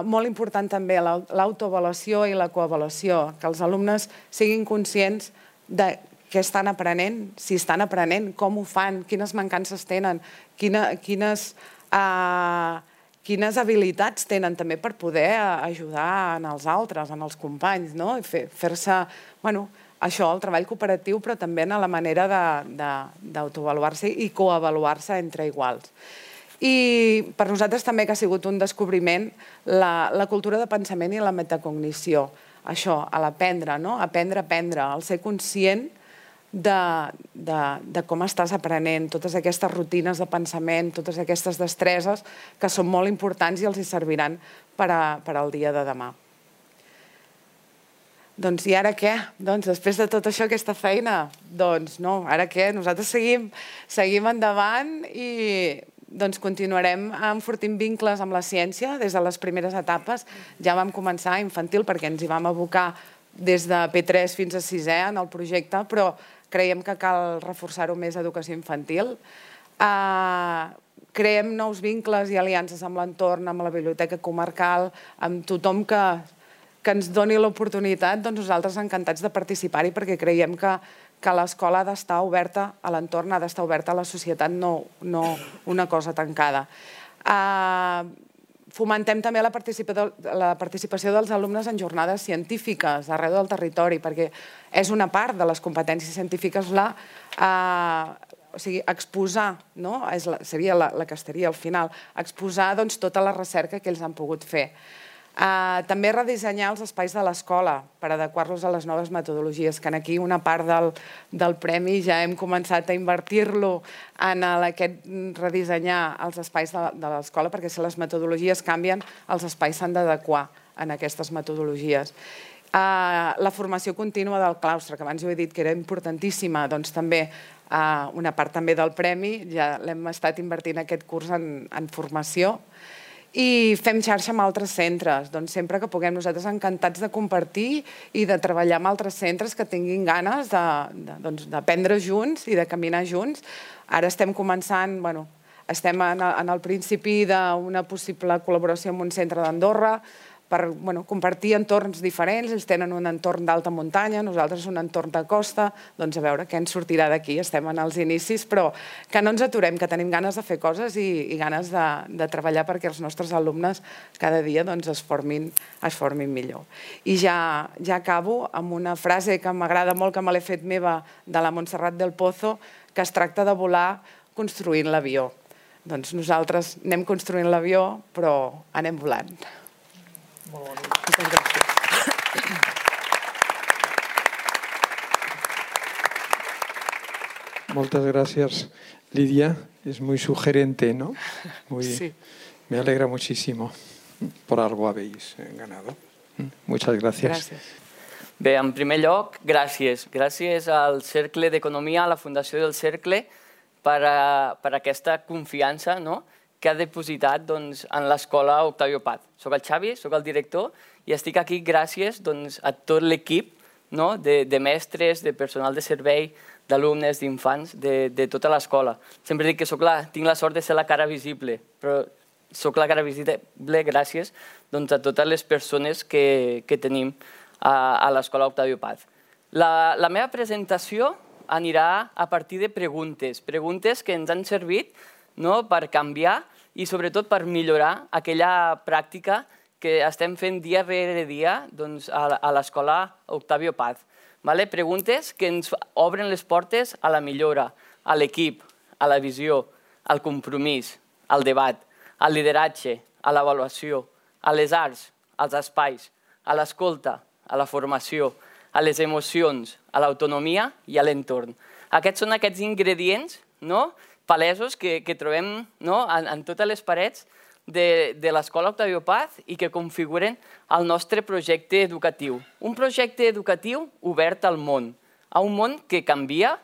Molt important també l'autoavaluació i la coavaluació, que els alumnes siguin conscients de què estan aprenent, si estan aprenent, com ho fan, quines mancances tenen, quines habilitats tenen també per poder ajudar als altres, als companys, fer-se, bueno, això, el treball cooperatiu, però també en la manera d'autoavaluar-se i coavaluar-se entre iguals. I per nosaltres també que ha sigut un descobriment la cultura de pensament i la metacognició. Això, l'aprendre, aprendre a aprendre, el ser conscient de com estàs aprenent, totes aquestes rutines de pensament, totes aquestes destreses que són molt importants i els hi serviran per al dia de demà. Doncs i ara què? Doncs després de tot això, aquesta feina, doncs no, ara què? Nosaltres seguim endavant i continuarem enfortint vincles amb la ciència des de les primeres etapes. Ja vam començar a infantil perquè ens hi vam abocar des de P tres fins a sisè en el projecte, però creiem que cal reforçar-ho més a educació infantil. Creem nous vincles i aliances amb l'entorn, amb la biblioteca comarcal, amb tothom que que ens doni l'oportunitat, doncs nosaltres encantats de participar-hi perquè creiem que l'escola ha d'estar oberta a l'entorn, ha d'estar oberta a la societat, no una cosa tancada. Fomentem també la participació dels alumnes en jornades científiques arreu del territori, perquè és una part de les competències científiques exposar, seria la que estaria al final, exposar tota la recerca que ells han pogut fer. També redissenyar els espais de l'escola per adequar-los a les noves metodologies, que aquí una part del premi ja hem començat a invertir-lo en aquest redissenyar els espais de l'escola, perquè si les metodologies canvien, els espais s'han d'adequar a aquestes metodologies. La formació contínua del claustre, que abans jo he dit que era importantíssima, doncs també una part també del premi, ja l'hem estat invertint aquest curs en formació. I fem xarxa amb altres centres, doncs sempre que puguem, nosaltres encantats de compartir i de treballar amb altres centres que tinguin ganes d'aprendre junts i de caminar junts. Ara estem començant, bueno, estem en el principi d'una possible col·laboració amb un centre d'Andorra per compartir entorns diferents. Ells tenen un entorn d'alta muntanya, nosaltres un entorn de costa, doncs a veure què ens sortirà d'aquí. Estem en els inicis, però que no ens aturem, que tenim ganes de fer coses i ganes de treballar perquè els nostres alumnes cada dia es formin millor. I ja acabo amb una frase que m'agrada molt, que me l'he fet meva, de la Montserrat del Pozo, que es tracta de volar construint l'avió. Doncs nosaltres anem construint l'avió, però anem volant. Molt bonic. Moltes gràcies. Muchas gracias, Lidia. Es muy sugerente, ¿no? Muy, sí. Me alegra muchísimo. Por algo habéis ganado. Muchas gracias. Gràcies. Bé, en primer lloc, gràcies. Gràcies al Cercle d'Economia, a la Fundació del Cercle, per aquesta confiança que ha depositat en l'Escola Octavio Paz. Soc el Xavi, soc el director, i estic aquí gràcies a tot l'equip de mestres, de personal de servei, d'alumnes, d'infants, de tota l'escola. Sempre dic que tinc la sort de ser la cara visible, però soc la cara visible gràcies a totes les persones que tenim a l'Escola Octavio Paz. La meva presentació anirà a partir de preguntes, preguntes que ens han servit per canviar i sobretot per millorar aquella pràctica que estem fent dia rere dia a l'Escola Octavio Paz. Preguntes que ens obren les portes a la millora, a l'equip, a la visió, al compromís, al debat, al lideratge, a l'avaluació, a les arts, als espais, a l'escolta, a la formació, a les emocions, a l'autonomia i a l'entorn. Aquests són aquests ingredients palesos que trobem en totes les parets de l'Escola Octavio Paz i que configuren el nostre projecte educatiu. Un projecte educatiu obert al món, a un món que canvia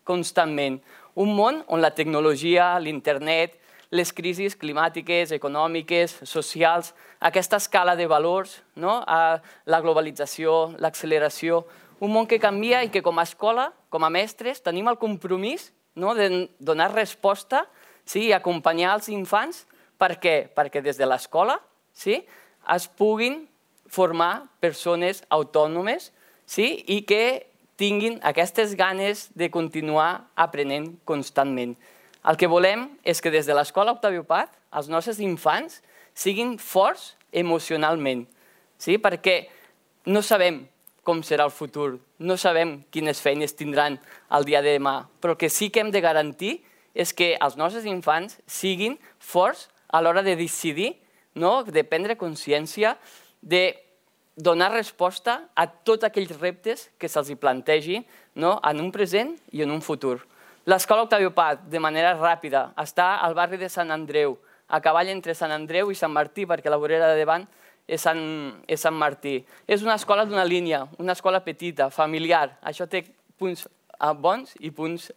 constantment, un món on la tecnologia, l'internet, les crisis climàtiques, econòmiques, socials, aquesta escala de valors, la globalització, l'acceleració, un món que canvia i que com a escola, com a mestres, tenim el compromís de donar resposta i acompanyar els infants. Per què? Perquè des de l'escola es puguin formar persones autònomes i que tinguin aquestes ganes de continuar aprenent constantment. El que volem és que des de l'Escola Octavio Paz els nostres infants siguin forts emocionalment, perquè no sabem com serà el futur, no sabem quines feines tindran el dia de demà, però el que sí que hem de garantir és que els nostres infants siguin forts a l'hora de decidir, de prendre consciència, de donar resposta a tots aquells reptes que se'ls plantegi en un present i en un futur. L'Escola Octavio Paz, de manera ràpida, està al barri de Sant Andreu, a cavall entre Sant Andreu i Sant Martí, perquè la vorera de davant és Sant Martí. És una escola d'una línia, una escola petita, familiar. Això té punts bons i punts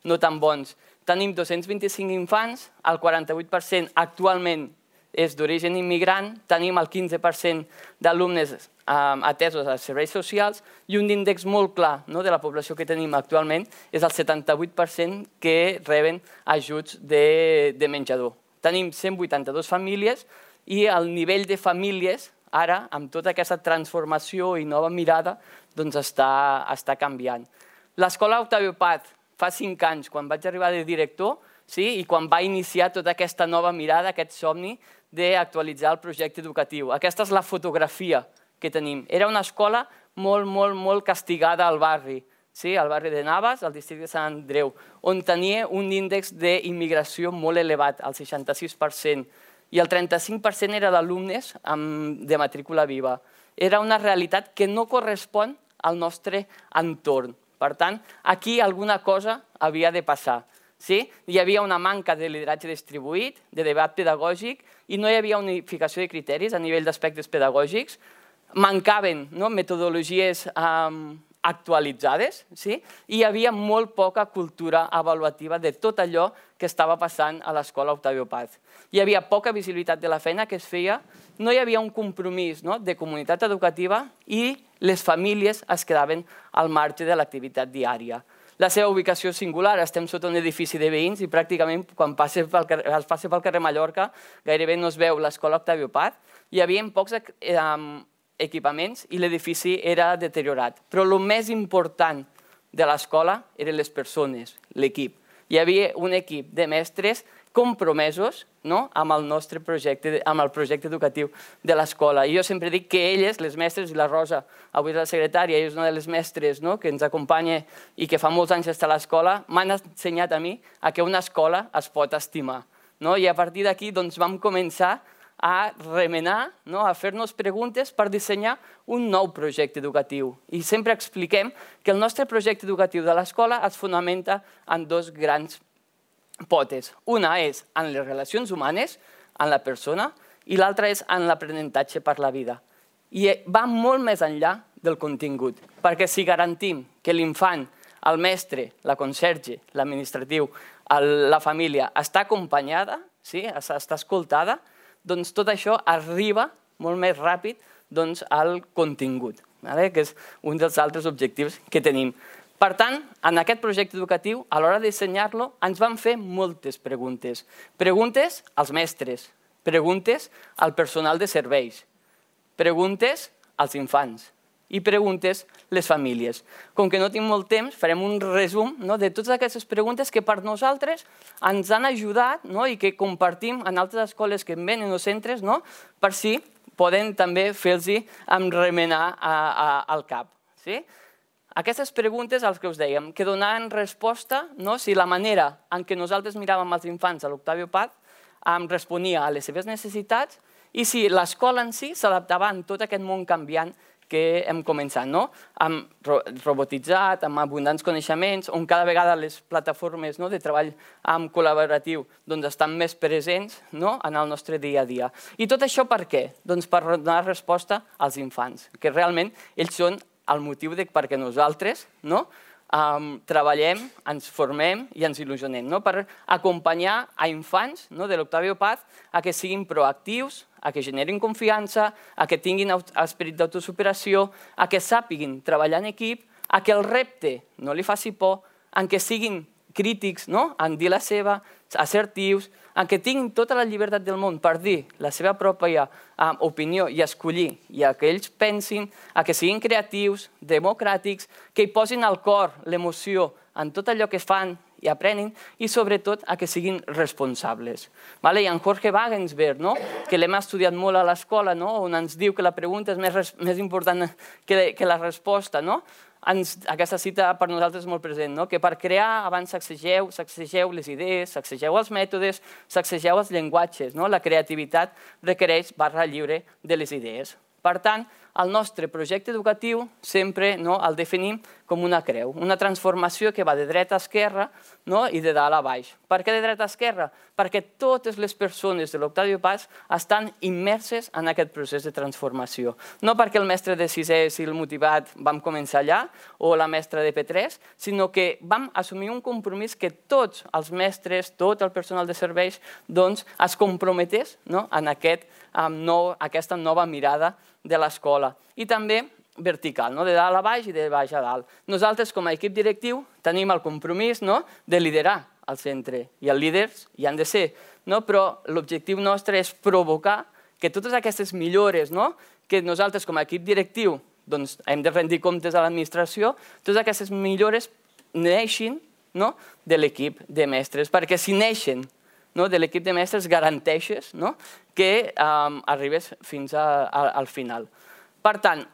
no tan bons. Tenim dos-cents vint-i-cinc infants, el quaranta-vuit per cent actualment és d'origen immigrant, tenim el quinze per cent d'alumnes atesos als serveis socials i un índex molt clar de la població que tenim actualment és el setanta-vuit per cent que reben ajuts de menjador. Tenim cent vuitanta-dues famílies i el nivell de famílies ara, amb tota aquesta transformació i nova mirada, doncs està canviant. L'Escola Octavio Paz fa cinc anys, quan vaig arribar de director, i quan va iniciar tota aquesta nova mirada, aquest somni d'actualitzar el projecte educatiu. Aquesta és la fotografia que tenim. Era una escola molt, molt, molt castigada al barri, al barri de Navas, al districte de Sant Andreu, on tenia un índex d'immigració molt elevat, el seixanta-sis per cent, i el trenta-cinc per cent era d'alumnes de matrícula viva. Era una realitat que no correspon al nostre entorn. Per tant, aquí alguna cosa havia de passar. Hi havia una manca de lideratge distribuït, de debat pedagògic, i no hi havia unificació de criteris a nivell d'aspectes pedagògics. Mancaven metodologies actualitzades i hi havia molt poca cultura avaluativa de tot allò que estava passant a l'Escola Octavio Paz. Hi havia poca visibilitat de la feina que es feia, no hi havia un compromís de comunitat educativa i les famílies es quedaven al marge de l'activitat diària. La seva ubicació singular, estem sota un edifici de veïns i pràcticament quan es passa pel carrer Mallorca gairebé no es veu l'Escola Octavio Paz. Hi havia pocs equipaments i l'edifici era deteriorat. Però el més important de l'escola eren les persones, l'equip. Hi havia un equip de mestres compromesos amb el nostre projecte, amb el projecte educatiu de l'escola. I jo sempre dic que elles, les mestres, i la Rosa, avui és la secretària, i és una de les mestres que ens acompanya i que fa molts anys està a l'escola, m'han ensenyat a mi que una escola es pot estimar. I a partir d'aquí vam començar a remenar, a fer-nos preguntes per dissenyar un nou projecte educatiu. I sempre expliquem que el nostre projecte educatiu de l'escola es fonamenta en dos grans potes. Una és en les relacions humanes, en la persona, i l'altra és en l'aprenentatge per la vida. I va molt més enllà del contingut, perquè si garantim que l'infant, el mestre, la conserge, l'administratiu, la família està acompanyada, està escoltada, doncs tot això arriba molt més ràpid al contingut. que és un dels altres objectius que tenim. Per tant, en aquest projecte educatiu, a l'hora de dissenyar-lo, ens van fer moltes preguntes. Preguntes als mestres, preguntes al personal de serveis, preguntes als infants i preguntes les famílies. Com que no tinc molt temps, farem un resum de totes aquestes preguntes que per nosaltres ens han ajudat i que compartim en altres escoles que venen o centres per si poden també fer-los remenar al cap. Aquestes preguntes, els que us dèiem, que donaven resposta si la manera en què nosaltres miràvem els infants a l'Octavio Paz responia a les seves necessitats i si l'escola en si s'adaptava a tot aquest món canviant que hem començat, amb robotitzat, amb abundants coneixements, on cada vegada les plataformes de treball col·laboratiu estan més presents en el nostre dia a dia. I tot això per què? Doncs per donar resposta als infants, que realment ells són el motiu perquè nosaltres treballem, ens formem i ens il·lusionem, per acompanyar a infants de l'Octavio Paz a que siguin proactius, a que generin confiança, a que tinguin esperit d'autosuperació, a que sàpiguin treballar en equip, a que el repte no li faci por, a que siguin crítics en dir la seva, assertius, en què tinguin tota la llibertat del món per dir la seva pròpia opinió i escollir, i que ells pensin, que siguin creatius, democràtics, que hi posin el cor, l'emoció en tot allò que fan i aprenen, i sobretot que siguin responsables. I en Jorge Wagensberg, que l'hem estudiat molt a l'escola, on ens diu que la pregunta és més important que la resposta, aquesta cita per nosaltres és molt present, que per crear abans sacsegeu, sacsegeu les idees, sacsegeu els mètodes, sacsegeu els llenguatges. La creativitat requereix barra lliure de les idees. Per tant, el nostre projecte educatiu sempre el definim com una creu, una transformació que va de dreta a esquerra i de dalt a baix. Per què de dreta a esquerra? Perquè totes les persones de l'Octavio Paz estan immerses en aquest procés de transformació. No perquè el mestre de sisè, si el motivat, vam començar allà, o la mestra de P tres, sinó que vam assumir un compromís que tots els mestres, tot el personal de serveis, es comprometés en aquesta nova mirada de l'escola. I també vertical, de dalt a baix i de baix a dalt. Nosaltres, com a equip directiu, tenim el compromís de liderar el centre, i els líders hi han de ser, però l'objectiu nostre és provocar que totes aquestes millores que nosaltres, com a equip directiu, hem de rendir comptes a l'administració, totes aquestes millores neixin de l'equip de mestres, perquè si neixen de l'equip de mestres garanteixes que arribes fins al final. Per tant,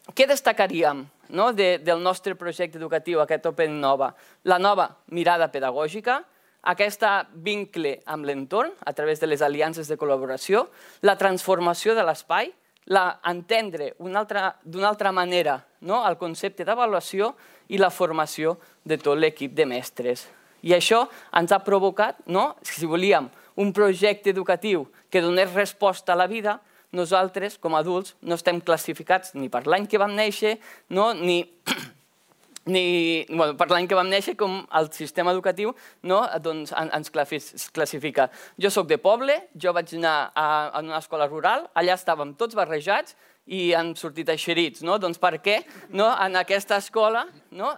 què destacaríem del nostre projecte educatiu, aquest Open Innova? La nova mirada pedagògica, aquest vincle amb l'entorn a través de les aliances de col·laboració, la transformació de l'espai, entendre d'una altra manera el concepte d'avaluació i la formació de tot l'equip de mestres. I això ens ha provocat, si volíem, un projecte educatiu que donés resposta a la vida. Nosaltres, com a adults, no estem classificats ni per l'any que vam néixer, ni per l'any que vam néixer com el sistema educatiu ens classifica. Jo soc de poble, jo vaig anar a una escola rural, allà estàvem tots barrejats i han sortit eixerits. Doncs per què en aquesta escola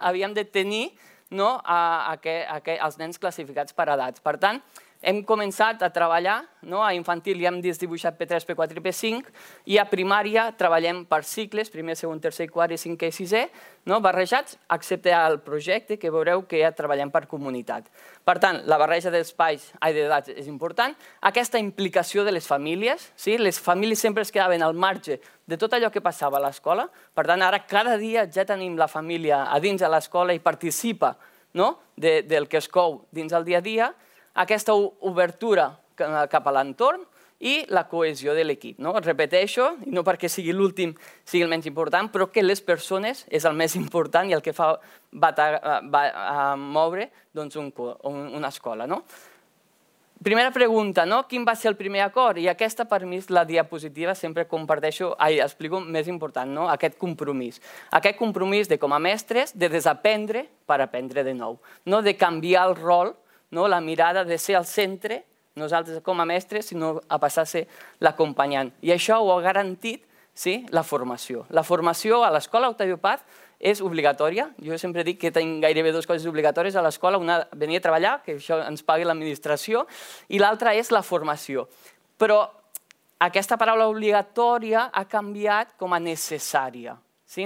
havíem de tenir els nens classificats per edats? Per tant, hem començat a treballar, a infantil ja hem dibuixat P tres, P quatre i P cinc, i a primària treballem per cicles, primer, segon, tercer, quart i cinquè i sisè, barrejats, excepte el projecte, que veureu que ja treballem per comunitat. Per tant, la barreja d'espais i d'edats és important. Aquesta implicació de les famílies, les famílies sempre es quedaven al marge de tot allò que passava a l'escola. Per tant, ara cada dia ja tenim la família a dins de l'escola i participa del que es cou dins el dia a dia. Aquesta obertura cap a l'entorn i la cohesió de l'equip. Repeteixo, i no perquè sigui l'últim sigui el menys important, però que les persones és el més important i el que fa moure una escola. Primera pregunta, quin va ser el primer acord? I aquesta per mi és la diapositiva, sempre comparteixo, explico més important, aquest compromís. Aquest compromís de com a mestres de desaprendre per aprendre de nou, de canviar el rol, la mirada de ser al centre, nosaltres com a mestres, sinó a passar a ser l'acompanyant. I això ho ha garantit la formació. La formació a l'escola Octavio Paz és obligatòria. Jo sempre dic que tinc gairebé dues coses obligatòries a l'escola. Una, venir a treballar, que això ens pagui l'administració, i l'altra és la formació. Però aquesta paraula obligatòria ha canviat com a necessària.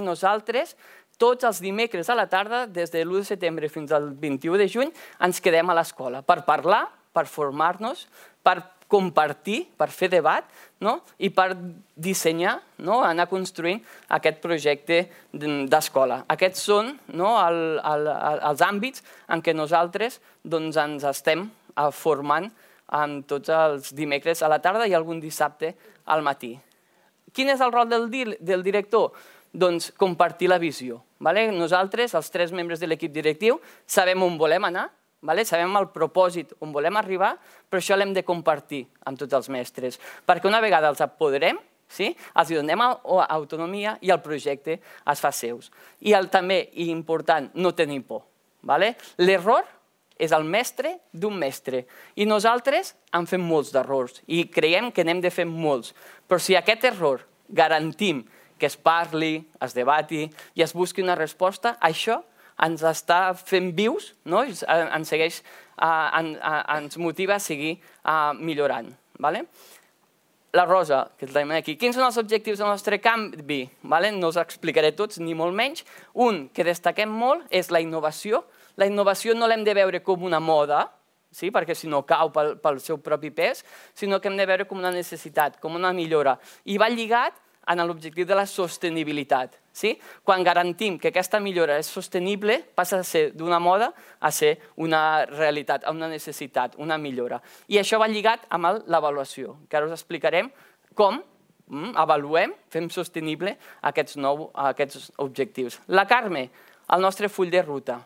Nosaltres, tots els dimecres a la tarda, des de l'u de setembre fins al vint-i-u de juny, ens quedem a l'escola per parlar, per formar-nos, per compartir, per fer debat i per dissenyar, anar construint aquest projecte d'escola. Aquests són els àmbits en què nosaltres ens estem formant tots els dimecres a la tarda i algun dissabte al matí. Quin és el rol del director? Doncs compartir la visió. Nosaltres, els tres membres de l'equip directiu, sabem on volem anar, sabem el propòsit on volem arribar, però això l'hem de compartir amb tots els mestres, perquè una vegada els apoderem, els donem autonomia i el projecte es fa seus. I també, i important, no tenir por. L'error és el mestre d'un mestre i nosaltres en fem molts d'errors i creiem que n'hem de fer molts, però si aquest error garantim que es parli, es debati i es busqui una resposta, això ens està fent vius, ens motiva a seguir millorant. La Rosa, que tenim aquí. Quins són els objectius del nostre canvi? No us explicaré tots, ni molt menys. Un que destaquem molt és la innovació. La innovació no l'hem de veure com una moda, perquè si no cau pel seu propi pes, sinó que hem de veure com una necessitat, com una millora. I va lligat en l'objectiu de la sostenibilitat. Quan garantim que aquesta millora és sostenible, passa a ser d'una moda a ser una realitat, una necessitat, una millora. I això va lligat amb l'avaluació, que ara us explicarem com avaluem, fem sostenible aquests objectius. La Carme, el nostre full de ruta.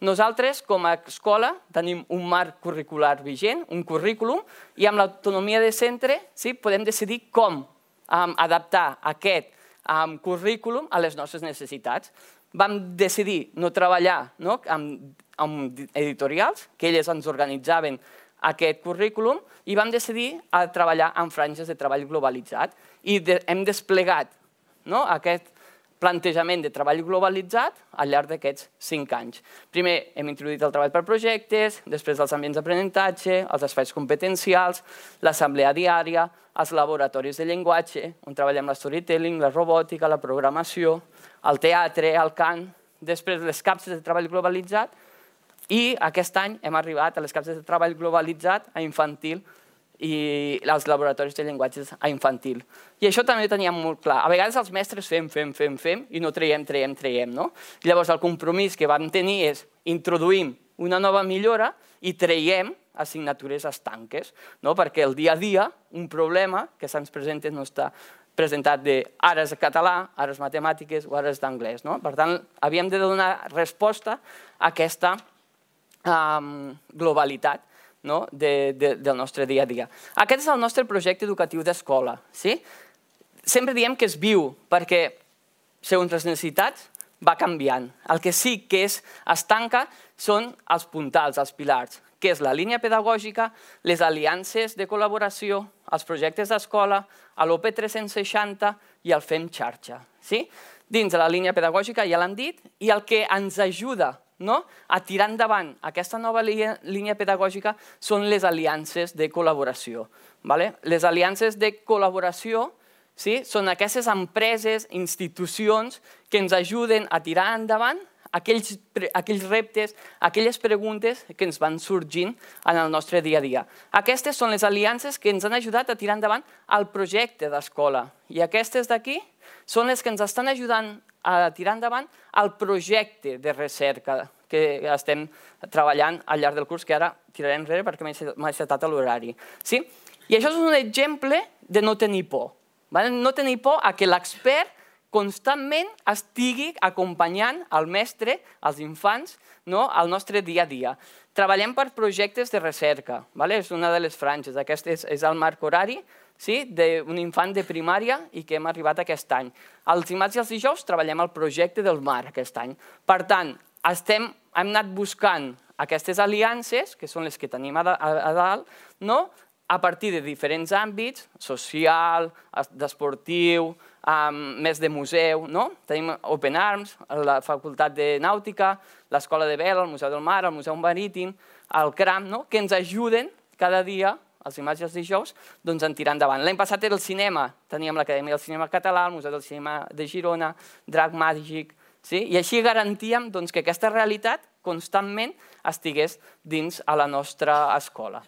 Nosaltres, com a escola, tenim un marc curricular vigent, un currículum, i amb l'autonomia de centre podem decidir com adaptar aquest currículum a les nostres necessitats. Vam decidir no treballar amb editorials, que elles ens organitzaven aquest currículum, i vam decidir treballar amb franges de treball globalitzat. I hem desplegat aquest plantejament de treball globalitzat al llarg d'aquests cinc anys. Primer hem introduït el treball per projectes, després els ambients d'aprenentatge, els espais competencials, l'assemblea diària, els laboratoris de llenguatge, on treballem la storytelling, la robòtica, la programació, el teatre, el cant, després les capses de treball globalitzat i aquest any hem arribat a les capses de treball globalitzat a infantil i els laboratoris de llenguatges a infantil. I això també ho teníem molt clar. A vegades els mestres fem, fem, fem, fem i no traiem, traiem, traiem. Llavors el compromís que vam tenir és introduïm una nova millora i traiem assignatures estanques, perquè el dia a dia un problema que se'ns presenta no està presentat de ara és català, ara és matemàtiques o ara és d'anglès. Per tant, havíem de donar resposta a aquesta globalitat del nostre dia a dia. Aquest és el nostre projecte educatiu d'escola. Sempre diem que és viu perquè, segons les necessitats, va canviant. El que sí que es tanca són els puntals, els pilars, que és la línia pedagògica, les aliances de col·laboració, els projectes d'escola, l'O P tres-cents seixanta i el Fem Xarxa. Dins de la línia pedagògica ja l'han dit, i el que ens ajuda a tirar endavant aquesta nova línia pedagògica són les aliances de col·laboració. Les aliances de col·laboració són aquestes empreses, institucions que ens ajuden a tirar endavant aquells reptes, aquelles preguntes que ens van sorgint en el nostre dia a dia. Aquestes són les aliances que ens han ajudat a tirar endavant el projecte d'escola. I aquestes d'aquí són les que ens estan ajudant a tirar endavant el projecte de recerca que estem treballant al llarg del curs, que ara tiraré enrere perquè m'ha encetat l'horari. I això és un exemple de no tenir por. No tenir por a que l'expert constantment estigui acompanyant el mestre, els infants, al nostre dia a dia. Treballem per projectes de recerca, és una de les franges. Aquest és el marc horari d'un infant de primària i que hem arribat aquest any. Els dimarts i els dijous treballem el projecte del mar aquest any. Per tant, hem anat buscant aquestes aliances, que són les que tenim a dalt, a partir de diferents àmbits, social, d'esportiu, més de museu, no? Tenim Open Arms, la Facultat de Nàutica, l'Escola de Vela, el Museu del Mar, el Museu Marítim, el CRAM, no? Que ens ajuden cada dia, els dimarts i els dijous, doncs en tirar endavant. L'any passat era el cinema, teníem l'Acadèmia del Cinema Català, el Museu del Cinema de Girona, Drac Màgic, i així garantíem que aquesta realitat constantment estigués dins a la nostra escola.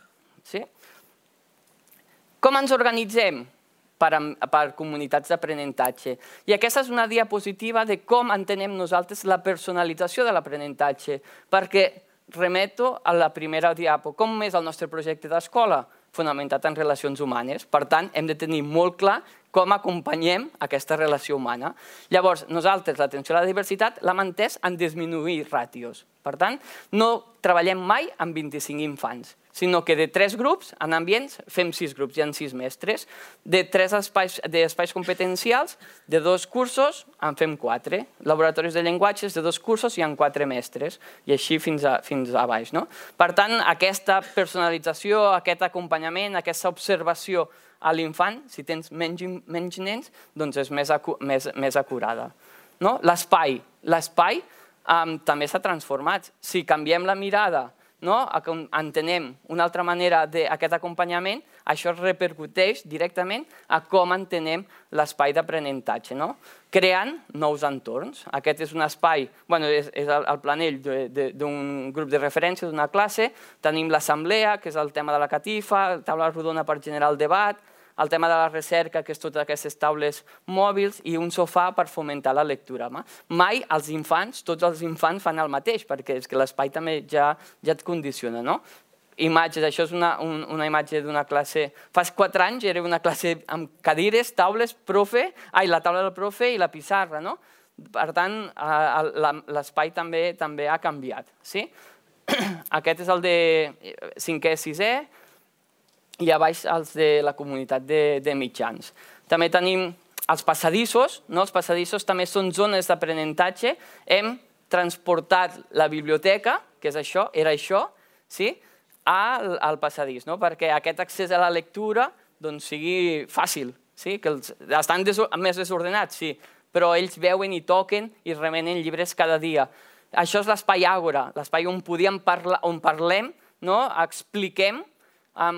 Com ens organitzem per comunitats d'aprenentatge? I aquesta és una diapositiva de com entenem nosaltres la personalització de l'aprenentatge, perquè remeto a la primera diapo. Com és el nostre projecte d'escola? Fonamentat en relacions humanes. Per tant, hem de tenir molt clar com acompanyem aquesta relació humana. Llavors, nosaltres l'atenció a la diversitat l'hem entès en disminuir ràtios. Per tant, no treballem mai amb vint-i-cinc infants, sinó que de tres grups en ambients fem sis grups, hi ha sis mestres. De tres espais competencials, de dos cursos en fem quatre. Laboratoris de llenguatges, de dos cursos hi ha quatre mestres, i així fins a baix. Per tant, aquesta personalització, aquest acompanyament, aquesta observació a l'infant, si tens menys nens, doncs és més acurada. L'espai. L'espai també s'ha transformat. Si canviem la mirada, entenem una altra manera d'aquest acompanyament, això repercuteix directament a com entenem l'espai d'aprenentatge, creant nous entorns. Aquest és un espai, és el planell d'un grup de referència d'una classe, tenim l'assemblea, que és el tema de la catifa, taula rodona per generar el debat, el tema de la recerca, que és totes aquestes taules mòbils, i un sofà per fomentar la lectura. Mai els infants, tots els infants fan el mateix, perquè és que l'espai també ja et condiciona. Imatges, això és una imatge d'una classe... Fa quatre anys era una classe amb cadires, taules, profe, ai, la taula del profe i la pissarra. Per tant, l'espai també ha canviat. Aquest és el de cinquè, sisè, i a baix els de la comunitat de mitjans. També tenim els passadissos. Els passadissos també són zones d'aprenentatge. Hem transportat la biblioteca, que és això, era això, al passadís, perquè aquest accés a la lectura sigui fàcil. Estan més desordenats, sí, però ells veuen i toquen i remenen llibres cada dia. Això és l'espai àgora, l'espai on parlem, expliquem,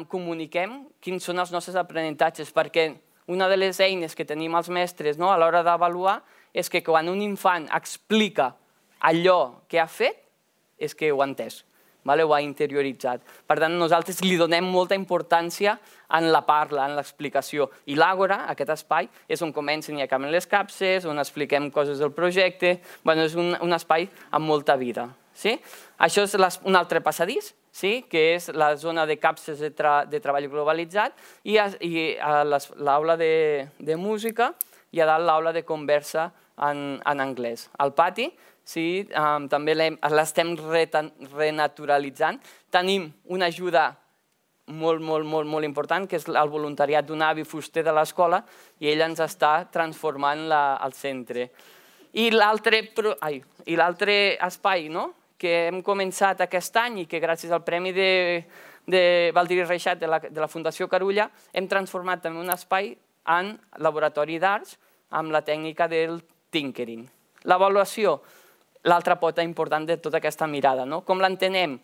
comuniquem quins són els nostres aprenentatges, perquè una de les eines que tenim els mestres a l'hora d'avaluar és que quan un infant explica allò que ha fet, és que ho ha entès, ho ha interioritzat. Per tant, nosaltres li donem molta importància en la parla, en l'explicació. I l'àgora, aquest espai, és on comencen i acaben les capses, on expliquem coses del projecte. És un espai amb molta vida. Això és un altre passadís, que és la zona de capses de treball globalitzat, i l'aula de música i a dalt l'aula de conversa en anglès. Al pati també l'estem renaturalitzant. Tenim una ajuda molt, molt, molt important, que és el voluntariat d'un avi fuster de l'escola, i ell ens està transformant el centre. I l'altre espai, que hem començat aquest any i que gràcies al Premi de Baldiri Reixat de la Fundació Carulla hem transformat també un espai en laboratori d'arts amb la tècnica del tinkering. L'avaluació, l'altra pota important de tota aquesta mirada. Com l'entenem?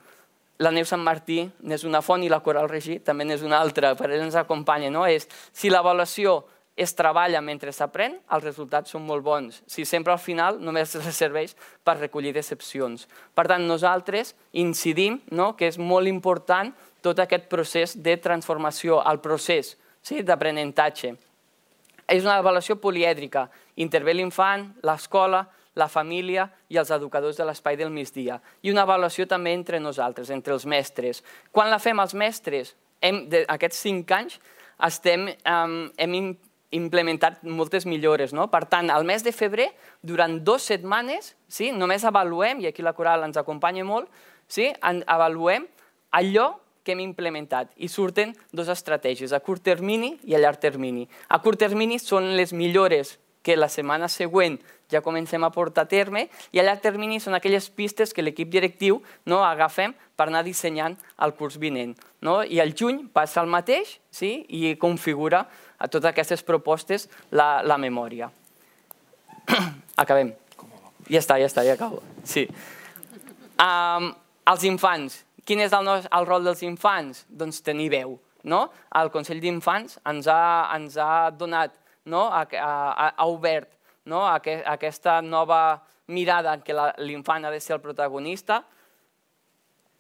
La Neus Sant Martí n'és una font i la Coral Regí també n'és una altra, per ell ens acompanya. Si l'avaluació es treballa mentre s'aprèn, els resultats són molt bons. Si sempre al final només serveix per recollir decepcions. Per tant, nosaltres incidim que és molt important tot aquest procés de transformació, el procés d'aprenentatge. És una avaluació polièdrica. Intervé l'infant, l'escola, la família i els educadors de l'espai del migdia. I una avaluació també entre nosaltres, entre els mestres. Quan la fem els mestres, aquests cinc anys, hem implementat moltes millores. Per tant, al mes de febrer, durant dues setmanes, només avaluem, i aquí la Coral ens acompanya molt, avaluem allò que hem implementat i surten dues estratègies, a curt termini i a llarg termini. A curt termini són les millores que la setmana següent ja comencem a portar a terme, i a llarg termini són aquelles pistes que l'equip directiu agafem per anar dissenyant el curs vinent. I al juny passa el mateix i configura a totes aquestes propostes la memòria. Acabem. Ja està, ja està, ja acabo. Sí. Els infants. Quin és el rol dels infants? Doncs tenir veu. El Consell d'Infants ens ha donat, ha obert aquesta nova mirada en què l'infant ha de ser el protagonista.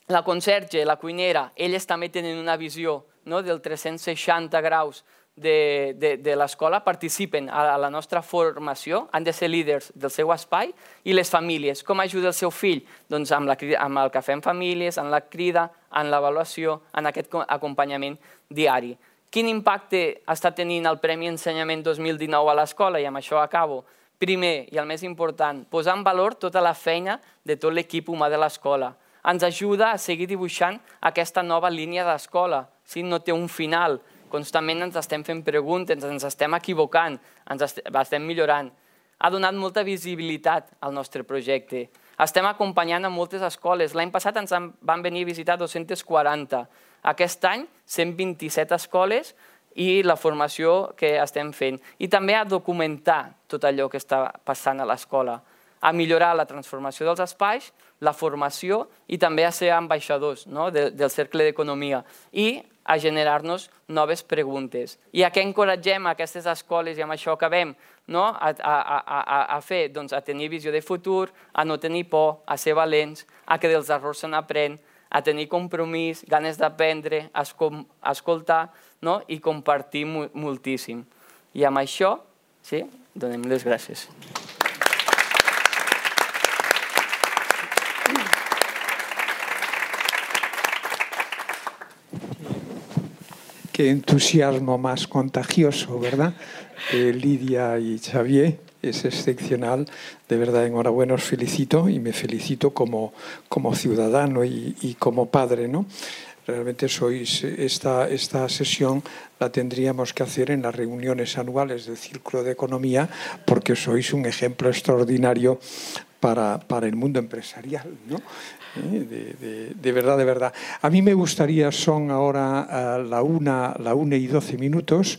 La conserge, la cuinera, elles també tenen una visió del tres-cents seixanta graus de l'escola, participen a la nostra formació, han de ser líders del seu espai, i les famílies. Com ajuda el seu fill? Doncs amb el cafè en famílies, en la crida, en l'avaluació, en aquest acompanyament diari. Quin impacte està tenint el Premi Ensenyament dos mil dinou a l'escola? I amb això acabo. Primer, i el més important, posar en valor tota la feina de tot l'equip humà de l'escola. Ens ajuda a seguir dibuixant aquesta nova línia d'escola. No té un final. Constantment ens estem fent preguntes, ens estem equivocant, ens estem millorant. Ha donat molta visibilitat al nostre projecte. Estem acompanyant a moltes escoles. L'any passat ens van venir a visitar dos-centes quaranta. Aquest any, cent vint-i-set escoles i la formació que estem fent. I també a documentar tot allò que està passant a l'escola, a millorar la transformació dels espais, la formació i també a ser ambaixadors del Cercle d'Economia i a generar-nos noves preguntes. I a què encoratgem aquestes escoles, i amb això acabem, a fer? Doncs a tenir visió de futur, a no tenir por, a ser valents, a que dels errors se n'aprèn, a tenir compromís, ganes d'aprendre, a escoltar i compartir moltíssim. I amb això, sí, donem les gràcies. Qué entusiasmo más contagioso, ¿verdad? Eh, Lidia y Xavier, es excepcional. De verdad, enhorabuena, os felicito y me felicito como, como ciudadano y, y como padre, ¿no? Realmente sois, esta, esta sesión la tendríamos que hacer en las reuniones anuales del Círculo de Economía, porque sois un ejemplo extraordinario para, para el mundo empresarial, ¿no? De, de, de verdad, de verdad. A mí me gustaría, son ahora la una, la una y doce minutos,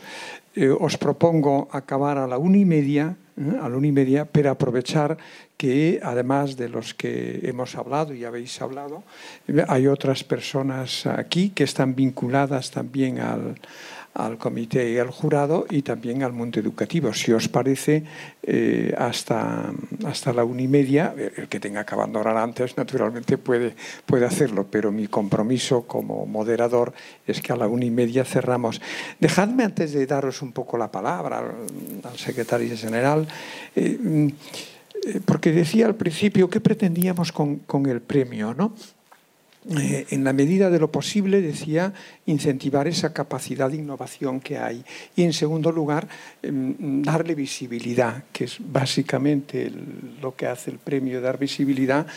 eh, os propongo acabar a la una y media, eh, a la una y media, pero aprovechar que además de los que hemos hablado y habéis hablado, hay otras personas aquí que están vinculadas también al, al comité y al jurado y también al mundo educativo. Si os parece, eh, hasta, hasta la una y media, el que tenga que abandonar antes naturalmente puede, puede hacerlo, pero mi compromiso como moderador es que a la una y media cerramos. Dejadme, antes de daros un poco la palabra al, al secretario general, eh, porque decía al principio qué pretendíamos con, con el premio, ¿no? Eh, en la medida de lo posible, decía, incentivar esa capacidad de innovación que hay. Y, en segundo lugar, eh, darle visibilidad, que es básicamente el, lo que hace el premio, dar visibilidad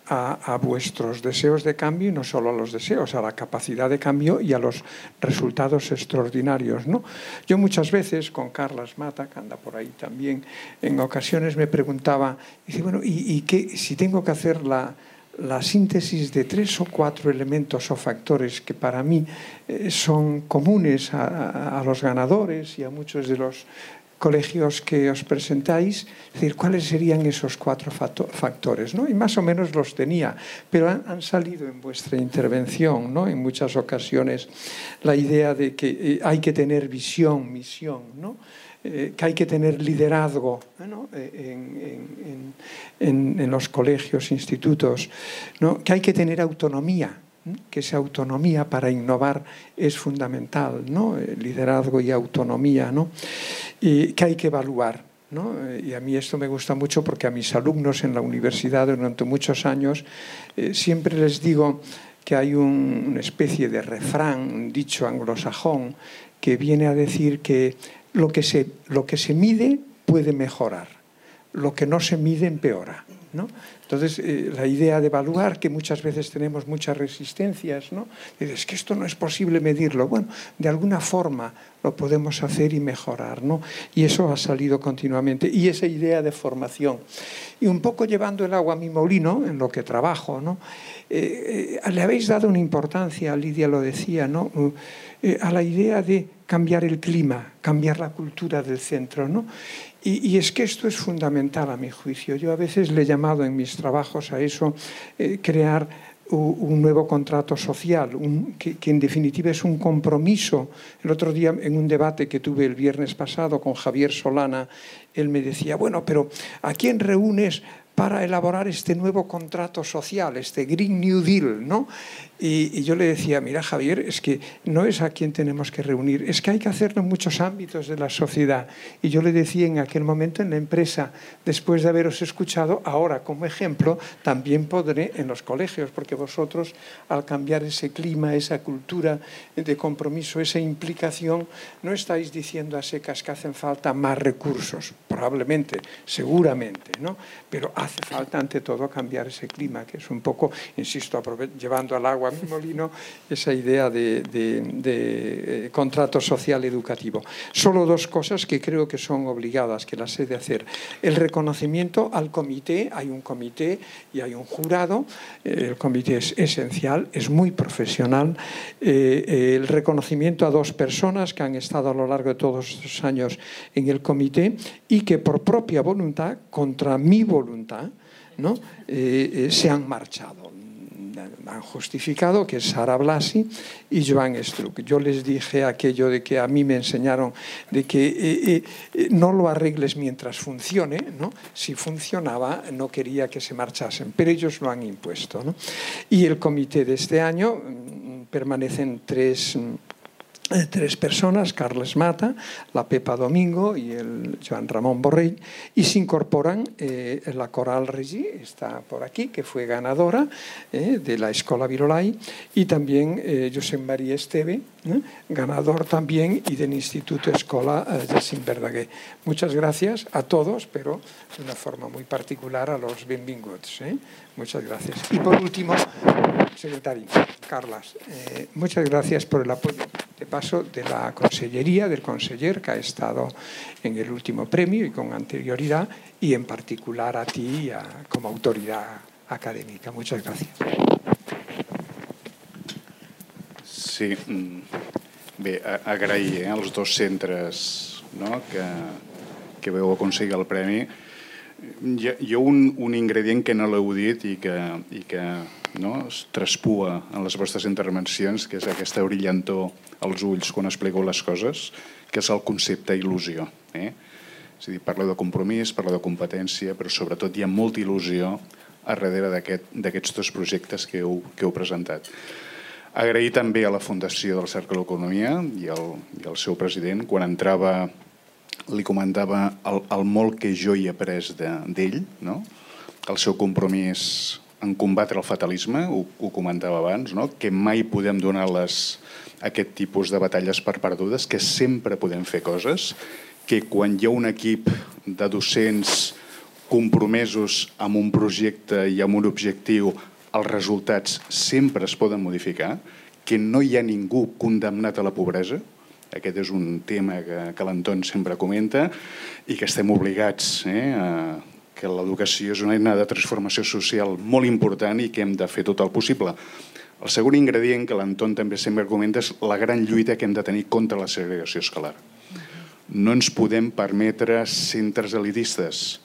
a, a vuestros deseos de cambio, y no solo a los deseos, a la capacidad de cambio y a los resultados extraordinarios, ¿no? Yo muchas veces, con Carlas Mata, que anda por ahí también, en ocasiones me preguntaba, dice, bueno, ¿y, y qué, si tengo que hacer la... la síntesis de tres o cuatro elementos o factores que para mí eh, son comunes a, a los ganadores y a muchos de los colegios que os presentáis, es decir, ¿cuáles serían esos cuatro factores, ¿no? Y más o menos los tenía, pero han, han salido en vuestra intervención, ¿no? En muchas ocasiones la idea de que eh, hay que tener visión, misión, ¿no? Eh, que hay que tener liderazgo, ¿no? en, en, en, en los colegios, institutos, ¿no? Que hay que tener autonomía, ¿no? Que esa autonomía para innovar es fundamental, ¿no? El liderazgo y autonomía, ¿no? Y que hay que evaluar, ¿no? Y a mí esto me gusta mucho porque a mis alumnos en la universidad durante muchos años eh, siempre les digo que hay un, una especie de refrán, un dicho anglosajón que viene a decir que Lo que, se, lo que se mide puede mejorar, lo que no se mide empeora. ¿no? Entonces, eh, la idea de evaluar, que muchas veces tenemos muchas resistencias, ¿no? Dices, es que esto no es posible medirlo. Bueno, de alguna forma lo podemos hacer y mejorar, ¿no? Y eso ha salido continuamente. Y esa idea de formación. Y un poco llevando el agua a mi molino, en lo que trabajo, ¿no? Eh, eh, le habéis dado una importancia, Lidia lo decía, ¿no? Eh, a la idea de cambiar el clima, cambiar la cultura del centro, ¿no? Y, y es que esto es fundamental a mi juicio. Yo a veces le he llamado en mis trabajos a eso, eh, crear un, un nuevo contrato social, un, que, que en definitiva es un compromiso. El otro día en un debate que tuve el viernes pasado con Javier Solana, él me decía, bueno, pero ¿a quién reúnes para elaborar este nuevo contrato social, este Green New Deal, ¿no? Y, y yo le decía, mira, Javier, es que no es a quien tenemos que reunir, es que hay que hacerlo en muchos ámbitos de la sociedad. Y yo le decía en aquel momento en la empresa, después de haberos escuchado, ahora como ejemplo, también podré en los colegios, porque vosotros al cambiar ese clima, esa cultura de compromiso, esa implicación, no estáis diciendo a secas que hacen falta más recursos, probablemente, seguramente, ¿no? Pero hace falta ante todo cambiar ese clima, que es un poco, insisto, llevando al agua a mi molino, esa idea de, de, de eh, contrato social educativo. Solo dos cosas que creo que son obligadas, que las he de hacer. El reconocimiento al comité, hay un comité y hay un jurado, el comité es esencial, es muy profesional. Eh, el reconocimiento a dos personas que han estado a lo largo de todos estos años en el comité y que por propia voluntad, contra mi voluntad, ¿no? eh, eh, se han marchado. Han justificado, que es Sara Blasi y Joan Struck. Yo les dije aquello de que a mí me enseñaron de que eh, eh, no lo arregles mientras funcione, ¿no? Si funcionaba no quería que se marchasen, pero ellos lo han impuesto, ¿no? Y el comité de este año mmm, permanecen tres... tres personas, Carles Mata, la Pepa Domingo y el Joan Ramón Borrell, y se incorporan eh, la Coral Regí, está por aquí, que fue ganadora eh, de la Escola Virolai, y también eh, Josep María Esteve, eh, ganador también, y del Instituto Escola eh, Jacint Verdaguer. Muchas gracias a todos, pero de una forma muy particular a los benvinguts. Eh. Muchas gracias. Y por último, secretario, Carlas, eh, muchas gracias por el apoyo de paso de la Consellería, del conseller que ha estado en el último premio y con anterioridad, y en particular a ti a, como autoridad académica. Muchas gracias. Sí, bé, agrair eh, als dos centres, no, que, que veu aconseguir el premi. Hi ha, hi ha un, un ingredient que no l'heu dit i que, i que no, es traspua en les vostres intervencions, que és aquesta brillantor als ulls quan expliqueu les coses, que és el concepte il·lusió. Eh? És a dir, parleu de compromís, parleu de competència, però sobretot hi ha molta il·lusió a darrere d'aquests aquest, dos projectes que heu, que heu presentat. Agrair també a la Fundació del Cercle de l'Economia i al, i al seu president, quan entrava li comentava el, el molt que jo hi he après d'ell, no? El seu compromís en combatre el fatalisme, ho, ho comentava abans, no? Que mai podem donar les, aquest tipus de batalles per perdudes, que sempre podem fer coses, que quan hi ha un equip de docents compromesos amb un projecte i amb un objectiu, els resultats sempre es poden modificar, que no hi ha ningú condemnat a la pobresa. Aquest és un tema que, que l'Anton sempre comenta i que estem obligats eh, a que l'educació és una eina de transformació social molt important i que hem de fer tot el possible. El segon ingredient que l'Anton també sempre comenta és la gran lluita que hem de tenir contra la segregació escolar. No ens podem permetre centres elitistes,